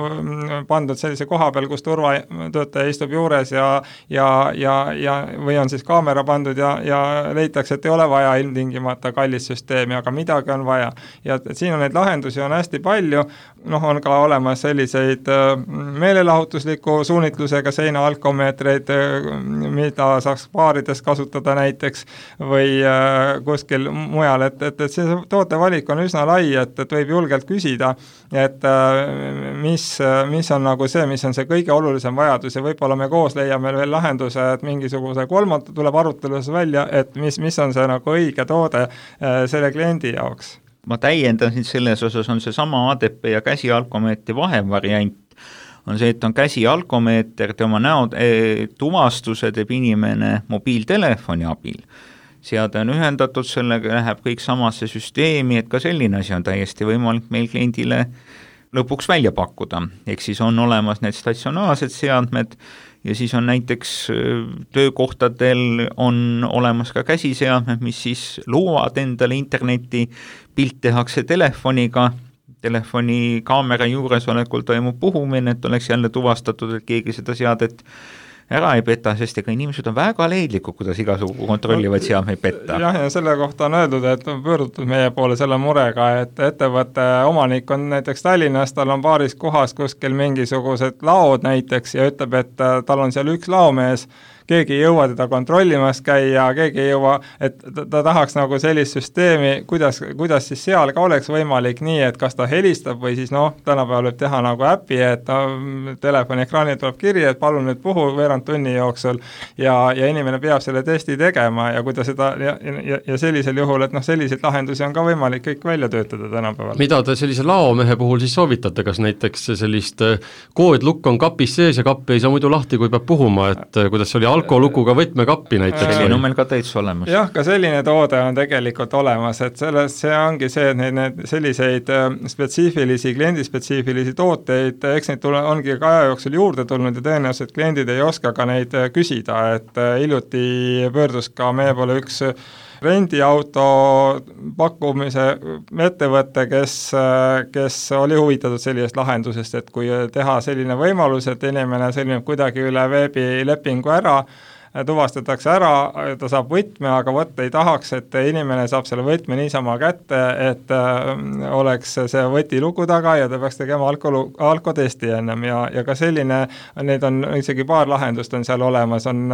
pandud sellise koha peal, kus turvatöötaja istub juures ja, ja, ja, ja või on siis kaamera pandud ja, ja leitakse, et ei ole vaja ilmtingimata kallist süsteemi, aga midagi on vaja. Ja et siin on neid lahendusi on hästi palju, noh on ka olemas selliseid meelelahutusliku suunitlusega seina alkomeetreid, mida saaks paarida tootes kasutada näiteks või kuskil mujal, et, et, et see tootevalik on üsna lai, et, et võib julgelt küsida, et mis, mis on nagu see, mis on see kõige olulisem vajadus ja võib-olla me koos leiame veel lahenduse, et mingisuguse kolmanda tuleb arutelus välja, et mis, mis on see nagu õige toode selle kliendi jaoks. Ma täiendan siin selles osas on see sama A D P ja käsialkomeetri vahevariant, on see, et on käsialkomeeter, tema näo e, tuvastuse teeb inimene mobiiltelefoni abil. Seade on ühendatud, sellega läheb kõik samasse süsteemi, et ka selline asi on täiesti võimalik meil kliendile lõpuks välja pakkuda. Ehk siis on olemas need statsionaarsed seadmed ja siis on näiteks töökohtadel on olemas ka käsiseadmed, mis siis loovad endale interneti, pilt tehakse telefoniga, telefoni kaamera juuresolekul toimub puhumine, et oleks jälle tuvastatud, et keegi seda seadet ära ei peta, sest ega inimesed on väga leidlikud, kuidas igasugu kontrollivad seadmeid petta. Jah, ja selle kohta on öeldud, et on pöördutud meie poole selle murega, et ettevõtte omanik on näiteks Tallinnas, tal on paaris kohas kuskil mingisugused laod näiteks ja ütleb, et tal on seal üks laomees, keegi ei jõua teda kontrollimas käia, keegi ei jõua, et ta, ta tahaks nagu sellist süsteemi, kuidas, kuidas siis seal ka oleks võimalik nii, et kas ta helistab või siis noh, tänapäeval võib teha nagu äpi, et no, telefoni ekraani tuleb kiri, et palun nüüd puhu veerand tunni jooksul ja, ja inimene peab selle testi tegema ja kui ta seda ja, ja, ja sellisel juhul, et noh, selliseid lahendusi on ka võimalik kõik välja töötada tänapäeval. Mida te sellise laomehe puhul siis soovitate, kas näiteks sellist koodlukk on kapis sees ja kappi ei saa muidu lahti, kui peab puhuma, et kuidas see oli alkolukuga võtmekappi näiteks. Selline on meil ka täitsa olemas. Jah, ka selline toode on tegelikult olemas, et selles, see ongi see, et need, need selliseid spetsiifilisi, kliendispetsiifilisi tooteid, eks neid tule, ongi ka aja jooksul juurde tulnud ja tõenäoliselt kliendid ei oska ka neid küsida, et hiljuti pöördus ka meie poole üks rendiauto pakkumise ettevõte, kes, kes oli huvitatud sellisest lahendusest, et kui teha selline võimalus, et inimene sõlmib kuidagi üle veebilepingu ära, tuvastatakse ära, ta saab võtme, aga võtta ei tahaks, et inimene saab selle võtme niisama kätte, et oleks see võtilugu taga ja ta peaks tegema alko, alkotesti ennem ja, ja ka selline, neid on isegi paar lahendust on seal olemas, on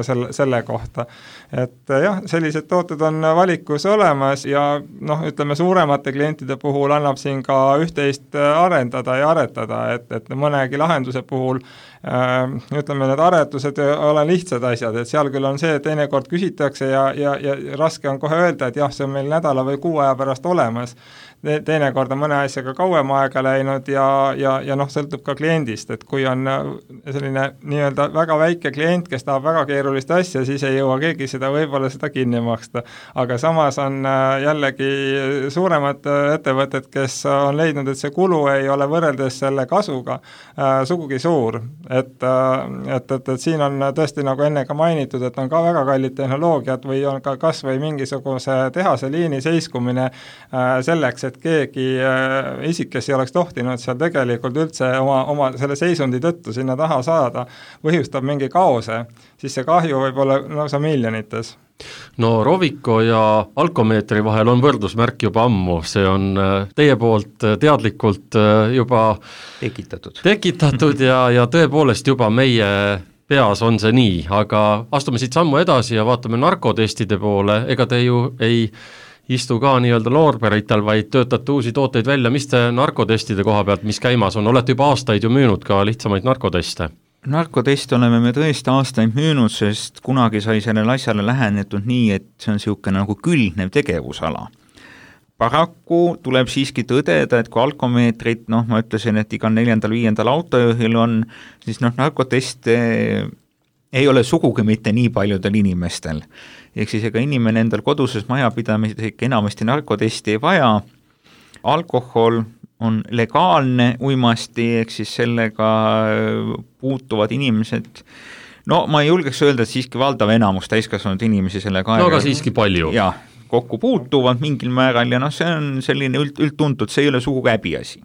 selle, selle kohta. Et jah, sellised tooted on valikus olemas ja noh, ütleme suuremate klientide puhul annab siin ka üht-teist arendada ja aretada, et, et mõnegi lahenduse puhul ütleme, need aretused ole lihtsad asjad, et seal küll on see, et teinekord küsitakse ja, ja, ja raske on kohe öelda, et jah, see on meil nädala või kuu aja pärast olemas. Teinekord on mõne asjaga kauem aega läinud ja, ja, ja noh, sõltub ka kliendist, et kui on selline nii-öelda väga väike klient, kes tahab väga keerulist asja, siis ei jõua keegi seda võib-olla seda kinni maksta. Aga samas on jällegi suuremad ettevõtted, kes on leidnud, et see kulu ei ole võrreldes selle kasuga äh, sugugi suur. Et, et, et, et siin on tõesti nagu enne ka mainitud, et on ka väga kallid tehnoloogiad või on ka kas või mingisuguse tehase liini seiskumine äh, selleks, et keegi äh, isik, kes ei oleks tohtinud seal tegelikult üldse oma, oma selle seisundi tõttu sinna taha saada, põhjustab mingi kaose, siis see kahju võib olla lausa miljonites. No Rovico ja alkomeetri vahel on võrdusmärk juba ammu, see on teie poolt teadlikult juba tekitatud, tekitatud ja, ja tõepoolest juba meie peas on see nii, aga astume siit sammu edasi ja vaatame narkotestide poole, ega te ju ei istu ka nii-öelda loorberitel, vaid töötate uusi tooteid välja, mis te narkotestide koha pealt, mis käimas on, olete juba aastaid ju müünud ka lihtsamaid narkoteste? Narkoteste oleme me tõesti aastaid müünud, sest kunagi sai sellele asjale lähenetud nii, et see on niisugune nagu külgnev tegevusala. Paraku tuleb siiski tõdeda, et kui alkomeetrid, noh ma ütlesin, et igal neljandal-viiendal autojuhil on, siis noh narkoteste ei ole sugugi mitte nii paljudel inimestel. Ehk siis ega inimene endal koduses majapidamises ikka enamasti narkotesti ei vaja. Alkohol on legaalne uimasti, ehk siis sellega puutuvad inimesed, no ma ei julgeks öelda, et siiski valdav enamus täiskasvanud inimesi sellega no aga siiski palju. Jah, kokku puutuvad mingil määral ja noh, see on selline üld, üldtuntud, see ei ole sugugi häbiasi.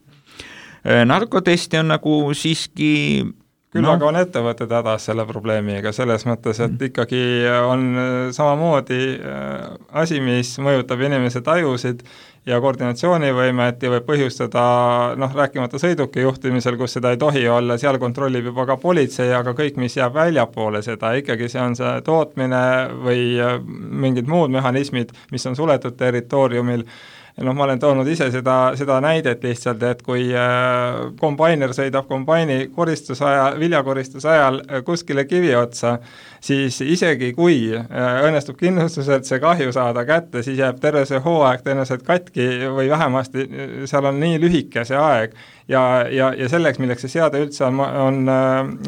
Narkotesti on nagu siiski küll no. aga on ettevõtted hädas selle probleemiga, selles mõttes, et ikkagi on samamoodi asi, mis mõjutab inimese tajusid ja koordinatsioonivõimet ja võib põhjustada, noh, rääkimata sõiduki juhtimisel, kus seda ei tohi olla, seal kontrollib juba ka politsei, aga kõik, mis jääb väljapoole seda, ikkagi see on see tootmine või mingid muud mehhanismid, mis on suletud territooriumil. Noh, ma olen toonud ise seda, seda näidet lihtsalt, et kui äh, kombainer sõidab kombaini koristus ajal, viljakoristus ajal kuskile kivi otsa, siis isegi kui äh, õnnestub kindlustuselt see kahju saada kätte, siis jääb terve see hooaeg tõenäoliselt katki või vähemasti seal on nii lühike see aeg ja, ja, ja selleks, milleks see seade üldse on, on,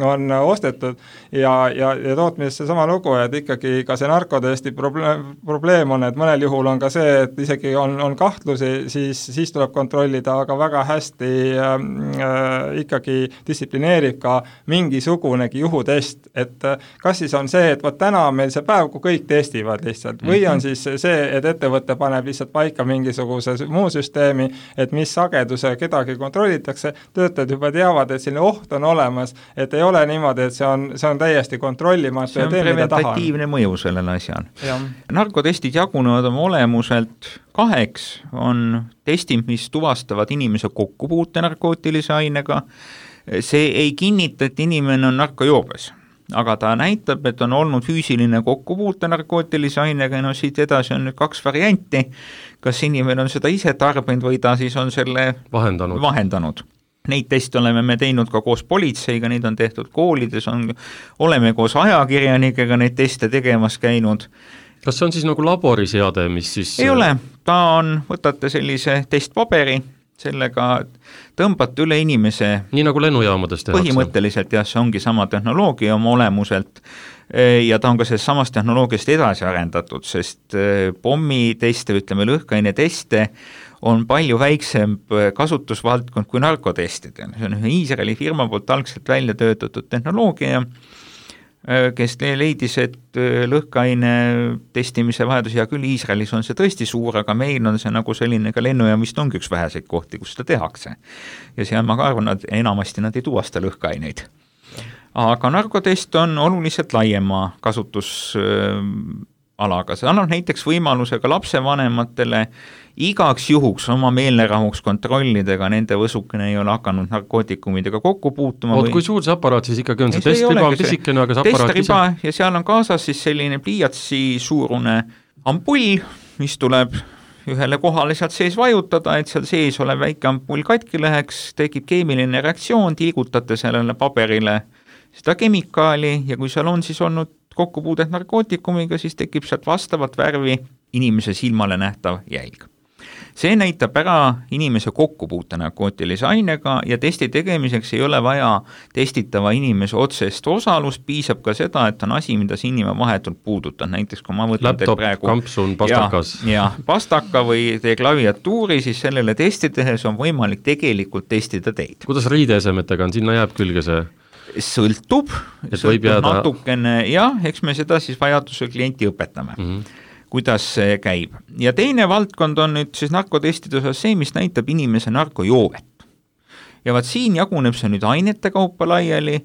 on ostetud ja, ja, ja tootmises see sama lugu, et ikkagi ka see narkotesti probleem, probleem on, et mõnel juhul on ka see, et isegi on, on kahtlusi, siis, siis tuleb kontrollida, aga väga hästi äh, ikkagi distsiplineerib ka mingisugunegi juhutest, et kas siis on see, et vot täna on meil see päev, kui kõik testivad lihtsalt, või on siis see, et ettevõte paneb lihtsalt paika mingisuguse muu süsteemi, et mis sageduse kedagi kontrollitakse, töötajad juba teavad, et selline oht on olemas, et ei ole niimoodi, et see on, see on täiesti kontrollimatu. See on tee, preventatiivne mõju sellele asjal. Narkotestid jagunevad oma olemuselt kaheks, on testid, mis tuvastavad inimese kokkupuute narkootilise ainega. See ei kinnita, et inimene on narkojoobes, aga ta näitab, et on olnud füüsiline kokkupuute narkootilise ainega, no siit edasi on nüüd kaks varianti, kas inimene on seda ise tarbinud või ta siis on selle vahendanud. vahendanud. Neid teste oleme me teinud ka koos politseiga, neid on tehtud koolides, on, oleme koos ajakirjanikega neid teste tegemas käinud. Kas see on siis nagu laboriseade, mis siis... Ei ole, ta on, võtate sellise testpaberi, sellega tõmbate üle inimese... Nii nagu lennujaamades tehakse. Põhimõtteliselt jah, see ongi sama tehnoloogia oma olemuselt ja ta on ka sellest samast tehnoloogiast edasi arendatud, sest pommiteste, ütleme lõhkaine teste on palju väiksem kasutusvaldkond kui narkotestidel. See on ühe Iisraeli firma poolt algselt välja töötatud tehnoloogia, kes leidis, et lõhkaine testimise vajadus, ja küll Iisraelis on see tõesti suur, aga meil on see nagu selline ka lennujaam vist ongi üks väheseid kohti, kus seda tehakse. Ja seal ma ka arvan, et enamasti nad ei tuvasta lõhkaineid. Aga narkotest on oluliselt laiema kasutusalaga. See annab näiteks võimaluse ka lapsevanematele igaks juhuks oma meelerahuks kontrollidega, nende võsukene ei ole hakanud narkootikumidega kokku puutuma. Oot, või... kui suur see aparaat siis ikkagi on? See testriba on pisikene, aga see aparaat ise... ja seal on kaasas siis selline pliiatsi suurune ampull, mis tuleb ühele kohale sealt sees vajutada, et seal sees ole väike ampull katki läheks, tekib keemiline reaktsioon, tilgutate sellele paberile seda kemikaali ja kui seal on siis olnud kokkupuudet narkootikumiga, siis tekib sealt vastavat värvi inimese silmale nähtav jälg. See näitab ära inimese kokkupuute narkootilise ainega ja testi tegemiseks ei ole vaja testitava inimese otsest osalust, piisab ka seda, et on asi, mida see inimene vahetult puudutab, näiteks kui ma võtan laptop, praegu, kampsun, pastakas. Ja, ja pastaka või teie klaviatuuri, siis sellele testi tehes on võimalik tegelikult testida teid. Kuidas riideesemetega on, sinna jääb külge see? Sõltub, sõltub jääda... natukene, jah, eks me seda siis vajaduse klienti õpetame. Mm-hmm. kuidas see käib. Ja teine valdkond on nüüd siis narkotestide osas see, mis näitab inimese narkojoovet. Ja vaat siin jaguneb see nüüd ainete kaupa laiali.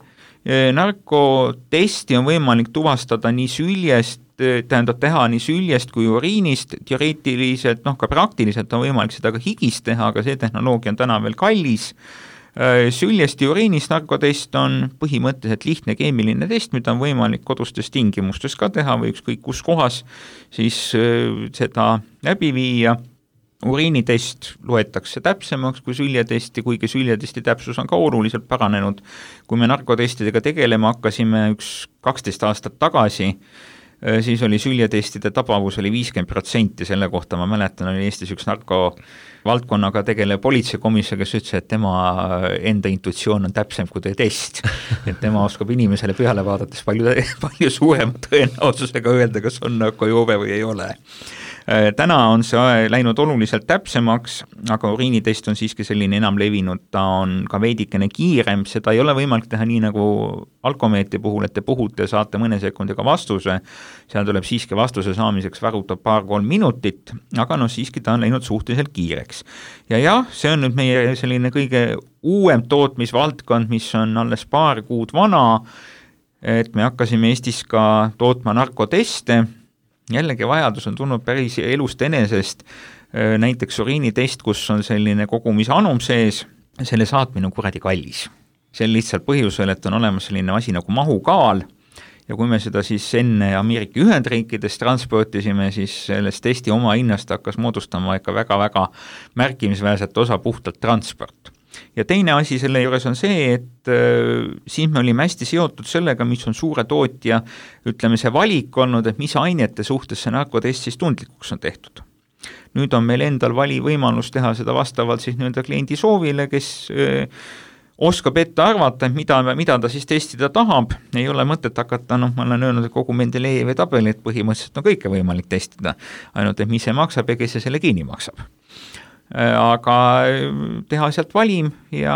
Narkotesti on võimalik tuvastada nii süljest, tähendab teha nii süljest kui uriinist, teoreetiliselt, noh ka praktiliselt on võimalik seda ka higist teha, aga see tehnoloogia on täna veel kallis. Süljest ja uriinist narkotest on põhimõtteliselt lihtne keemiline test, mida on võimalik kodustes tingimustes ka teha või ükskõik kus kohas siis seda läbi viia. Uriinitest loetakse täpsemaks kui süljetesti, kuigi süljetesti täpsus on ka oluliselt paranenud. Kui me narkotestidega tegelema hakkasime üks kaksteist aastat tagasi, siis oli süljetestide tabavus oli viiskümmend protsenti, selle kohta ma mäletan, oli Eestis üks narko valdkonnaga tegelev politseikomisjon, kes ütles, et tema enda intuitsioon on täpsem kui teie test, et tema oskab inimesele peale vaadates palju, palju suurema tõenäosusega öelda, kas on narkojoobe või ei ole. täna on see läinud oluliselt täpsemaks, aga uriinitest on siiski selline enam levinud, ta on ka veidikene kiirem, seda ei ole võimalik teha nii nagu alkomeetri puhul, et te puhute ja saate mõne sekundiga vastuse, seal tuleb siiski vastuse saamiseks varuda paar-kolm minutit, aga no siiski ta on läinud suhteliselt kiireks. Ja jah, see on nüüd meie selline kõige uuem tootmisvaldkond, mis on alles paar kuud vana, et me hakkasime Eestis ka tootma narkoteste, jällegi vajadus on tulnud päris elust enesest, näiteks uriinitest, kus on selline kogumisanum sees, selle saatmine on kuradi kallis. See on lihtsalt põhjusel, et on olemas selline asi nagu mahukaal ja kui me seda siis enne Ameerika Ühendriikides transportisime, siis sellest testi oma hinnast hakkas moodustama ikka väga-väga märkimisväärset osa puhtalt transport. Ja teine asi selle juures on see, et äh, siin me olime hästi seotud sellega, mis on suure tootja, ütleme see valik olnud, et mis ainete suhtes see narkotest siis tundlikuks on tehtud. Nüüd on meil endal vali võimalus teha seda vastavalt siis nii-öelda kliendi soovile, kes äh, oskab ette arvata, mida, mida ta siis testida tahab, ei ole mõtet hakata, noh, ma olen öelnud, et kogu Mendelejevi tabeli, et põhimõtteliselt on kõike võimalik testida, ainult et mis see maksab ja kes see selle kinni maksab. Aga teha sealt valim ja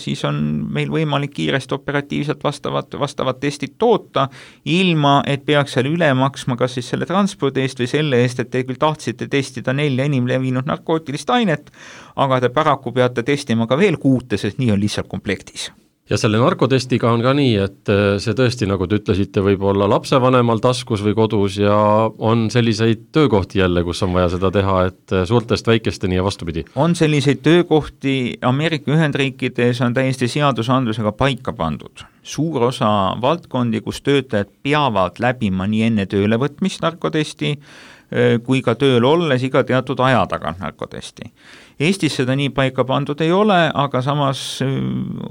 siis on meil võimalik kiiresti operatiivselt vastavad, vastavad testid toota, ilma et peaks seal üle maksma kas siis selle transpordi eest või selle eest, et te küll tahtsite testida nelja enim levinud narkootilist ainet, aga te paraku peate testima ka veel kuute, sest nii on lihtsalt komplektis. Ja selle narkotestiga on ka nii, et see tõesti, nagu te ütlesite, võib olla lapsevanemal taskus või kodus ja on selliseid töökohti jälle, kus on vaja seda teha, et suurtest väikesteni ja vastupidi. On selliseid töökohti, Ameerika Ühendriikides on täiesti seadusandlusega paika pandud. Suur osa valdkondi, kus töötajad peavad läbima nii enne töölevõtmist narkotesti, kui ka tööl olles iga teatud aja tagant narkotesti. Eestis seda nii paika pandud ei ole, aga samas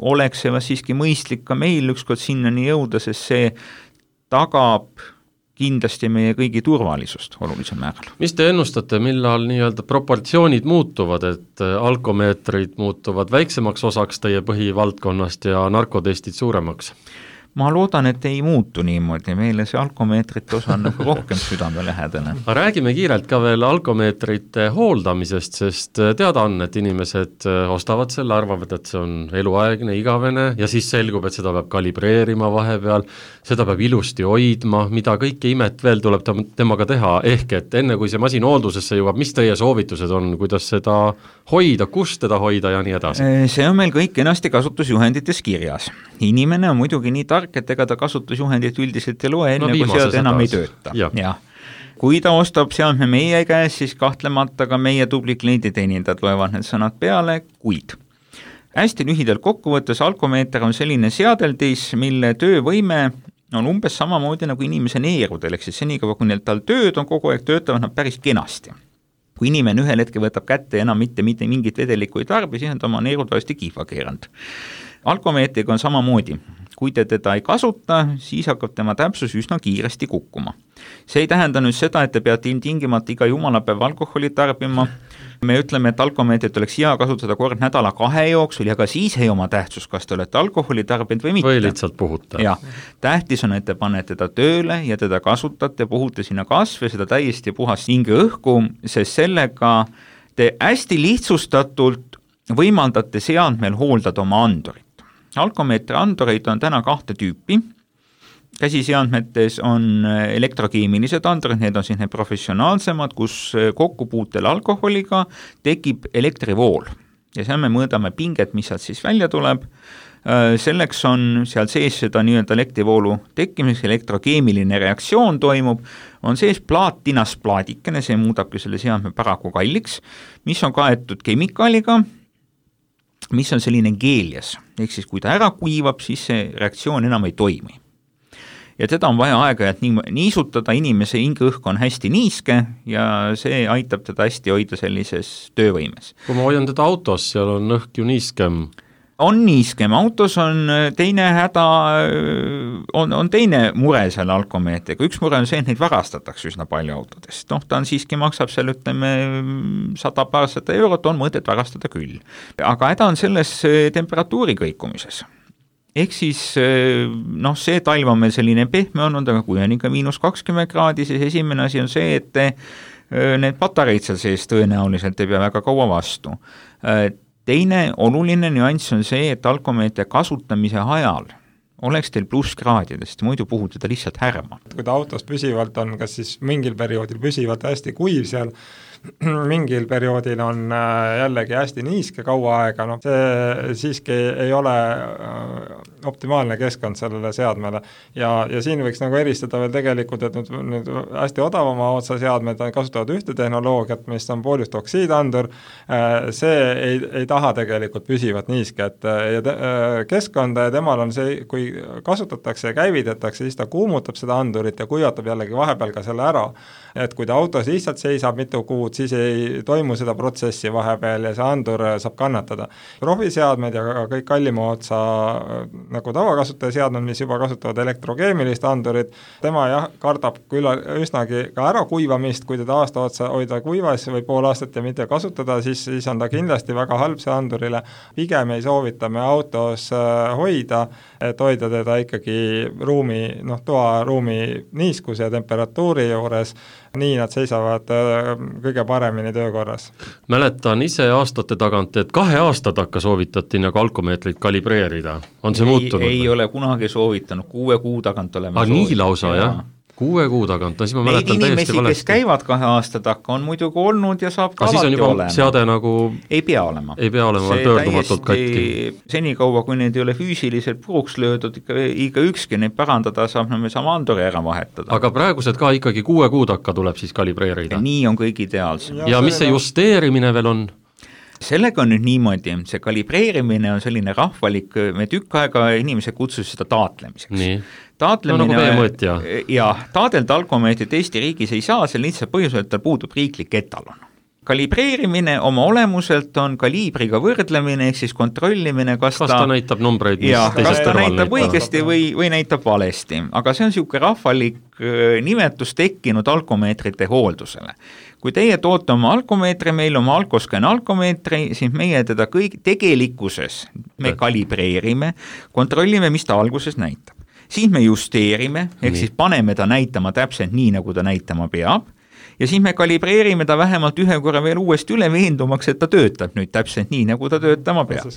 oleks see siiski mõistlik ka meil ükskord sinnani jõuda, sest see tagab kindlasti meie kõigi turvalisust olulisel määral. Mis te ennustate, millal nii-öelda proportsioonid muutuvad, et alkomeetrid muutuvad väiksemaks osaks teie põhivaldkonnast ja narkotestid suuremaks? Ma loodan, et ei muutu niimoodi, meile see alkomeetrite osa on nagu rohkem südame lähedane. Räägime kiirelt ka veel alkomeetrite hooldamisest, sest teada on, et inimesed ostavad selle, arvavad, et see on eluaegne, igavene ja siis selgub, et seda peab kalibreerima vahepeal, seda peab ilusti hoidma, mida kõike imet veel tuleb temaga teha, ehk et enne kui see masin hooldusesse jõuab, mis teie soovitused on, kuidas seda hoida, kust teda hoida ja nii edasi? See on meil kõik ennasti kasutusjuhendites kirjas. Inimene on muidugi nii tark, et ega ta kasutusjuhendit üldiselt ei loe, enne no, kui sealt enam ei tööta. Ja. Ja. Kui ta ostab seadme meie käes, siis kahtlemata ka meie tubli klienditeenindajad loevad need sõnad peale, kuid hästi lühidalt kokkuvõttes alkomeeter on selline seadeldis, mille töövõime on umbes samamoodi nagu inimese neerudel, ehk siis senikaua, kui neil tal tööd on kogu aeg, töötavad nad päris kenasti. Kui inimene ühel hetkel võtab kätte ja enam mitte, mitte mingit vedelikku ei tarbi, siis on ta oma neerud varsti kihva keeranud. Alkomeetriga on samamoodi. Kui te teda ei kasuta, siis hakkab tema täpsus üsna kiiresti kukkuma. See ei tähenda nüüd seda, et te peate ilmtingimata iga jumalapäev alkoholi tarbima. Me ütleme, et alkomeetrit oleks hea kasutada kord nädala kahe jooksul ja ka siis ei oma tähtsus, kas te olete alkoholi tarbinud või mitte. Või lihtsalt puhuta. Ja, tähtis on, et te panete teda tööle ja teda kasutate, puhute sinna kasve, seda täiesti puhast hinge õhku, sest sellega te hästi lihtsustatult võimaldate seadmel hooldada oma andurit. Alkomeetri andureid on täna kahte tüüpi. Käsiseadmetes on elektrokeemilised andurid, need on siis need professionaalsemad, kus kokkupuutel alkoholiga tekib elektrivool. Ja seal me mõõdame pinget, mis sealt siis välja tuleb. Selleks on seal sees seda nii-öelda elektrivoolu tekkimiseks, elektrokeemiline reaktsioon toimub, on sees plaatinas plaadikene, see muudabki selle seadme paraku kalliks, mis on kaetud kemikaaliga, mis on selline geelias, ehk siis kui ta ära kuivab, siis see reaktsioon enam ei toimi. Ja teda on vaja aega-ajalt niisutada, inimese hingeõhk on hästi niiske ja see aitab teda hästi hoida sellises töövõimes. Kui ma hoian teda autos, seal on õhk ju niiskem. On niiskem, autos on teine häda, on, on teine mure selle alkomeetriga. Üks mure on see, et neid varastatakse üsna palju autodest. Noh, ta on siiski maksab seal, ütleme, sada paarsada eurot, on mõtet varastada küll. Aga häda on selles temperatuuri kõikumises. ehk siis noh, see talv on meil selline pehme olnud, aga kui on ikka miinus kakskümmend kraadi, siis esimene asi on see, et need patareid seal sees tõenäoliselt ei pea väga kaua vastu. Teine oluline nüanss on see, et alkomeetri kasutamise ajal oleks teil plusskraadidest, muidu puhute ta lihtsalt härma. Kui ta autos püsivalt on, kas siis mingil perioodil püsivalt hästi kuiv seal, mingil perioodil on jällegi hästi niiske kaua aega, no see siiski ei ole optimaalne keskkond sellele seadmele. Ja, ja siin võiks nagu eristada veel tegelikult, et nüüd, nüüd hästi odavama otsa seadmed kasutavad ühte tehnoloogiat, mis on pooljustoksiidandur, see ei, ei taha tegelikult püsivat niisket ja te, keskkonda ja temal on see, kui kasutatakse ja käivitatakse, siis ta kuumutab seda andurit ja kuivatab jällegi vahepeal ka selle ära, et kui ta autos lihtsalt seisab mitu kuud, siis ei toimu seda protsessi vahepeal ja see andur saab kannatada. Profiseadmed ja kõik kallima otsa nagu tavakasutaja seadmed, mis juba kasutavad elektrokeemilist andurit, tema jah, kardab küll üsnagi ka ära kuivamist, kui teda aasta otsa hoida kuivas või pool aastat ja mitte kasutada, siis, siis on ta kindlasti väga halb see andurile. Pigem ei soovita me autos hoida, et hoida teda ikkagi ruumi, noh, toaruumi niiskuse ja temperatuuri juures, nii nad seisavad kõige paremini töökorras. Mäletan ise aastate tagant, et kahe aastat hakka soovitati nagu alkomeetrit kalibreerida. On see ei, muutunud? Ei ole kunagi soovitanud, kuue kuu tagant oleme ah, soovitanud. Nii lausa, jah? Kuue kuu tagant, no siis ma mäletan Neid täiesti valesti. Neid inimesi, kes käivad kahe aasta takka, on muidugi olnud ja saab ka alati olema. Seade nagu... Ei pea olema. Ei pea olema, see pöördumatult katki. Senikaua, kui need ei ole füüsiliselt puruks löödud, ikka, ikka ükski neid parandada saab, no me saame anduri ära vahetada. Aga praegused ka ikkagi kuue kuu takka tuleb siis kalibreerida. Ja nii on kõik ideaalsem. Ja, ja mis see justeerimine veel on? Sellega on nüüd niimoodi, see kalibreerimine on selline rahvalik, me tükk aega inimesed kutsus seda taatlemiseks. Nii. Taatlemine, no, nagu ja. ja taadelda alkomeetrit Eesti riigis ei saa, seal lihtsalt põhjusel, et tal puudub riiklik etalon. Kalibreerimine oma olemuselt on kaliibriga võrdlemine, ehk siis kontrollimine, kas, kas ta, ta näitab numbreid, ja, kas ta näitab õigesti või, või näitab valesti. Aga see on niisugune rahvalik nimetus tekkinud alkomeetrite hooldusele. Kui teie toote oma alkomeetri, meil oma alkoscan alkomeetri, siis meie teda kõik tegelikkuses me kalibreerime, kontrollime, mis ta alguses näitab. Siis me justeerime, ehk siis paneme ta näitama täpselt nii, nagu ta näitama peab, ja siis me kalibreerime ta vähemalt ühe korra veel uuesti üle veendumaks, et ta töötab nüüd täpselt nii, nagu ta töötama peab.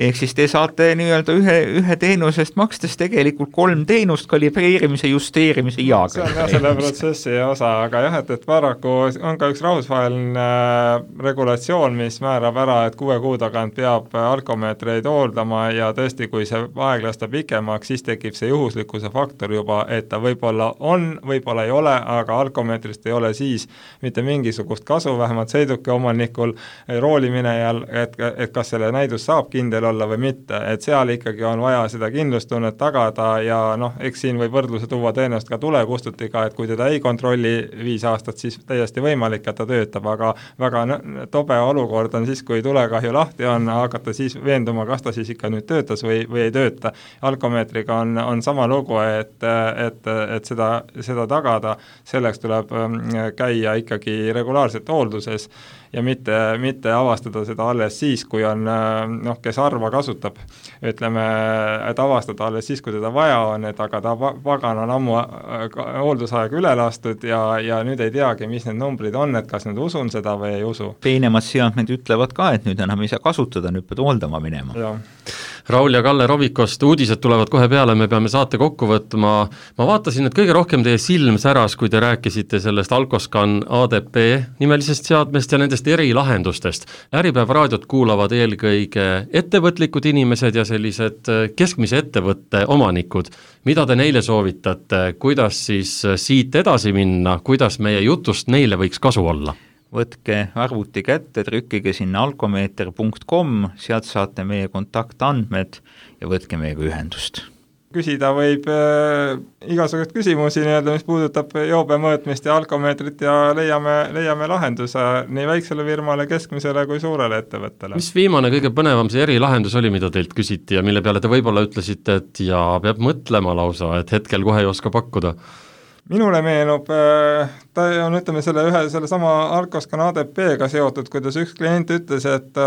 Ehk siis te saate nii-öelda ühe, ühe teenusest makstes tegelikult kolm teenust, kalibreerimise, justeerimise ja see on jah selle protsessi osa, aga jah, et, et paraku on ka üks rahvusvaheline regulatsioon, mis määrab ära, et kuue kuu tagant peab alkomeetreid hooldama ja tõesti, kui see aeg lasta pikemaks, siis tekib see juhuslikkuse faktor juba, et ta võib-olla on, võib-olla ei ole, aga alkomeetrist ei ole siis mitte mingisugust kasu, vähemalt sõiduki omanikul, rooliminejal, et, et kas selle näidus saab kindel olla või mitte, et seal ikkagi on vaja seda kindlustunnet tagada ja noh, eks siin võib võrdluse tuua teenust ka tulekustutiga, et kui teda ei kontrolli viis aastat, siis täiesti võimalik, et ta töötab, aga väga tobe olukord on siis, kui tulekahju lahti on, hakata siis veenduma, kas ta siis ikka nüüd töötas või, või ei tööta. Alkomeetriga on, on sama lugu, et, et, et seda, seda tagada, selleks tuleb käia ikkagi regulaarselt hoolduses ja mitte, mitte avastada seda alles siis, kui on, noh, kes harva kasutab, ütleme, et avastada alles siis, kui teda vaja on, et aga ta pagan on ammu hooldusaeg üle lastud ja, ja nüüd ei teagi, mis need numbrid on, et kas nüüd usun seda või ei usu. Peenemad seadmed ütlevad ka, et nüüd enam ei saa kasutada, nüüd pead hooldama minema. Ja. Raul ja Kalle Rovikost, uudised tulevad kohe peale, me peame saate kokku võtma. Ma vaatasin, et kõige rohkem teie silm säras, kui te rääkisite sellest Alkoscan A D P nimelisest seadmest ja nendest erilahendustest. Äripäeva raadiot kuulavad eelkõige ettevõtlikud inimesed ja sellised keskmise ettevõtte omanikud. Mida te neile soovitate, kuidas siis siit edasi minna, kuidas meie jutust neile võiks kasu olla? Võtke arvuti kätte, trükkige sinna alkomeeter punkt com, sealt saate meie kontaktandmed ja võtke meiega ühendust. Küsida võib äh, igasugust küsimusi, nii-öelda, mis puudutab joobe mõõtmist ja alkomeetrit ja leiame, leiame lahenduse nii väiksele firmale, keskmisele kui suurele ettevõttele. Mis viimane kõige põnevam see erilahendus oli, mida teilt küsiti ja mille peale te võib-olla ütlesite, et ja peab mõtlema lausa, et hetkel kohe ei oska pakkuda? minule meenub, ta on, ütleme, selle ühe, selle sama Alcoscan A D P-ga seotud, kuidas üks klient ütles, et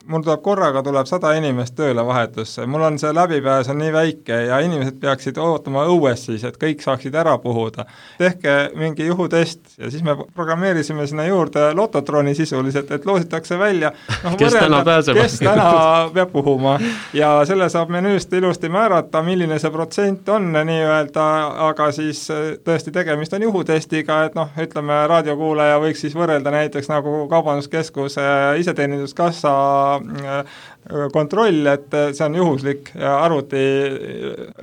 mul tuleb korraga, tuleb sada inimest tööle vahetusse, mul on see läbipääs on nii väike ja inimesed peaksid ootama õues siis, et kõik saaksid ära puhuda. Tehke mingi juhutest ja siis me programmeerisime sinna juurde lototroni sisuliselt, et loositakse välja, no, kes võrrelda, täna pääseb, kes täna peab puhuma ja selle saab menüüst ilusti määrata, milline see protsent on nii-öelda, aga siis tõesti tegemist on juhutestiga, et noh, ütleme, raadiokuulaja võiks siis võrrelda näiteks nagu kaubanduskeskuse iseteeninduskassa kontroll, et see on juhuslik ja arvuti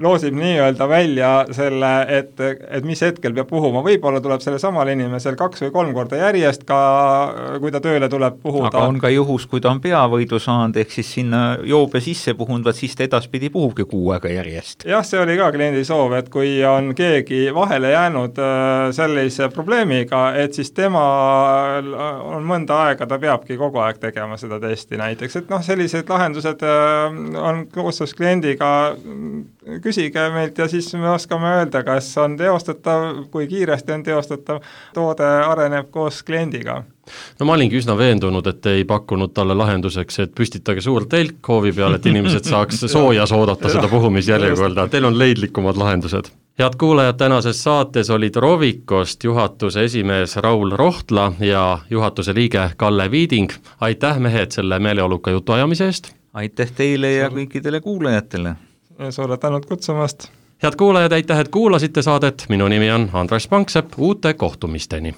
loosib nii-öelda välja selle, et, et mis hetkel peab puhuma. Võib-olla tuleb selle samal inimesel kaks või kolm korda järjest ka, kui ta tööle tuleb puhuda. Aga on ka juhus, kui ta on peavõidu saanud, ehk siis sinna joobe sisse puhunud, siis ta edaspidi puhubki kuu aega järjest. Jah, see oli ka kliendi soov, et kui on keegi vahele jäänud sellise probleemiga, et siis tema on mõnda aega, ta peabki kogu aeg tegema seda testi näiteks, et noh, sellised lahendused on koostöös kliendiga, küsige meilt ja siis me oskame öelda, kas on teostatav, kui kiiresti on teostatav, toode areneb koos kliendiga. No ma olingi üsna veendunud, et ei pakkunud talle lahenduseks, et püstitage suur telk hoovi peal, et inimesed saaks soojas oodata seda puhumisjärjekorda. Teil on leidlikumad lahendused. Head kuulajad, tänases saates olid Rovicost juhatuse esimees Raul Rohtla ja juhatuse liige Kalle Viiding. Aitäh mehed selle meeleoluka jutu ajamise eest. Aitäh teile ja kõikidele kuulajatele. Suure tänud kutsumast. Head kuulajad, aitäh, et kuulasite saadet. Minu nimi on Andres Panksepp. Uute kohtumisteni.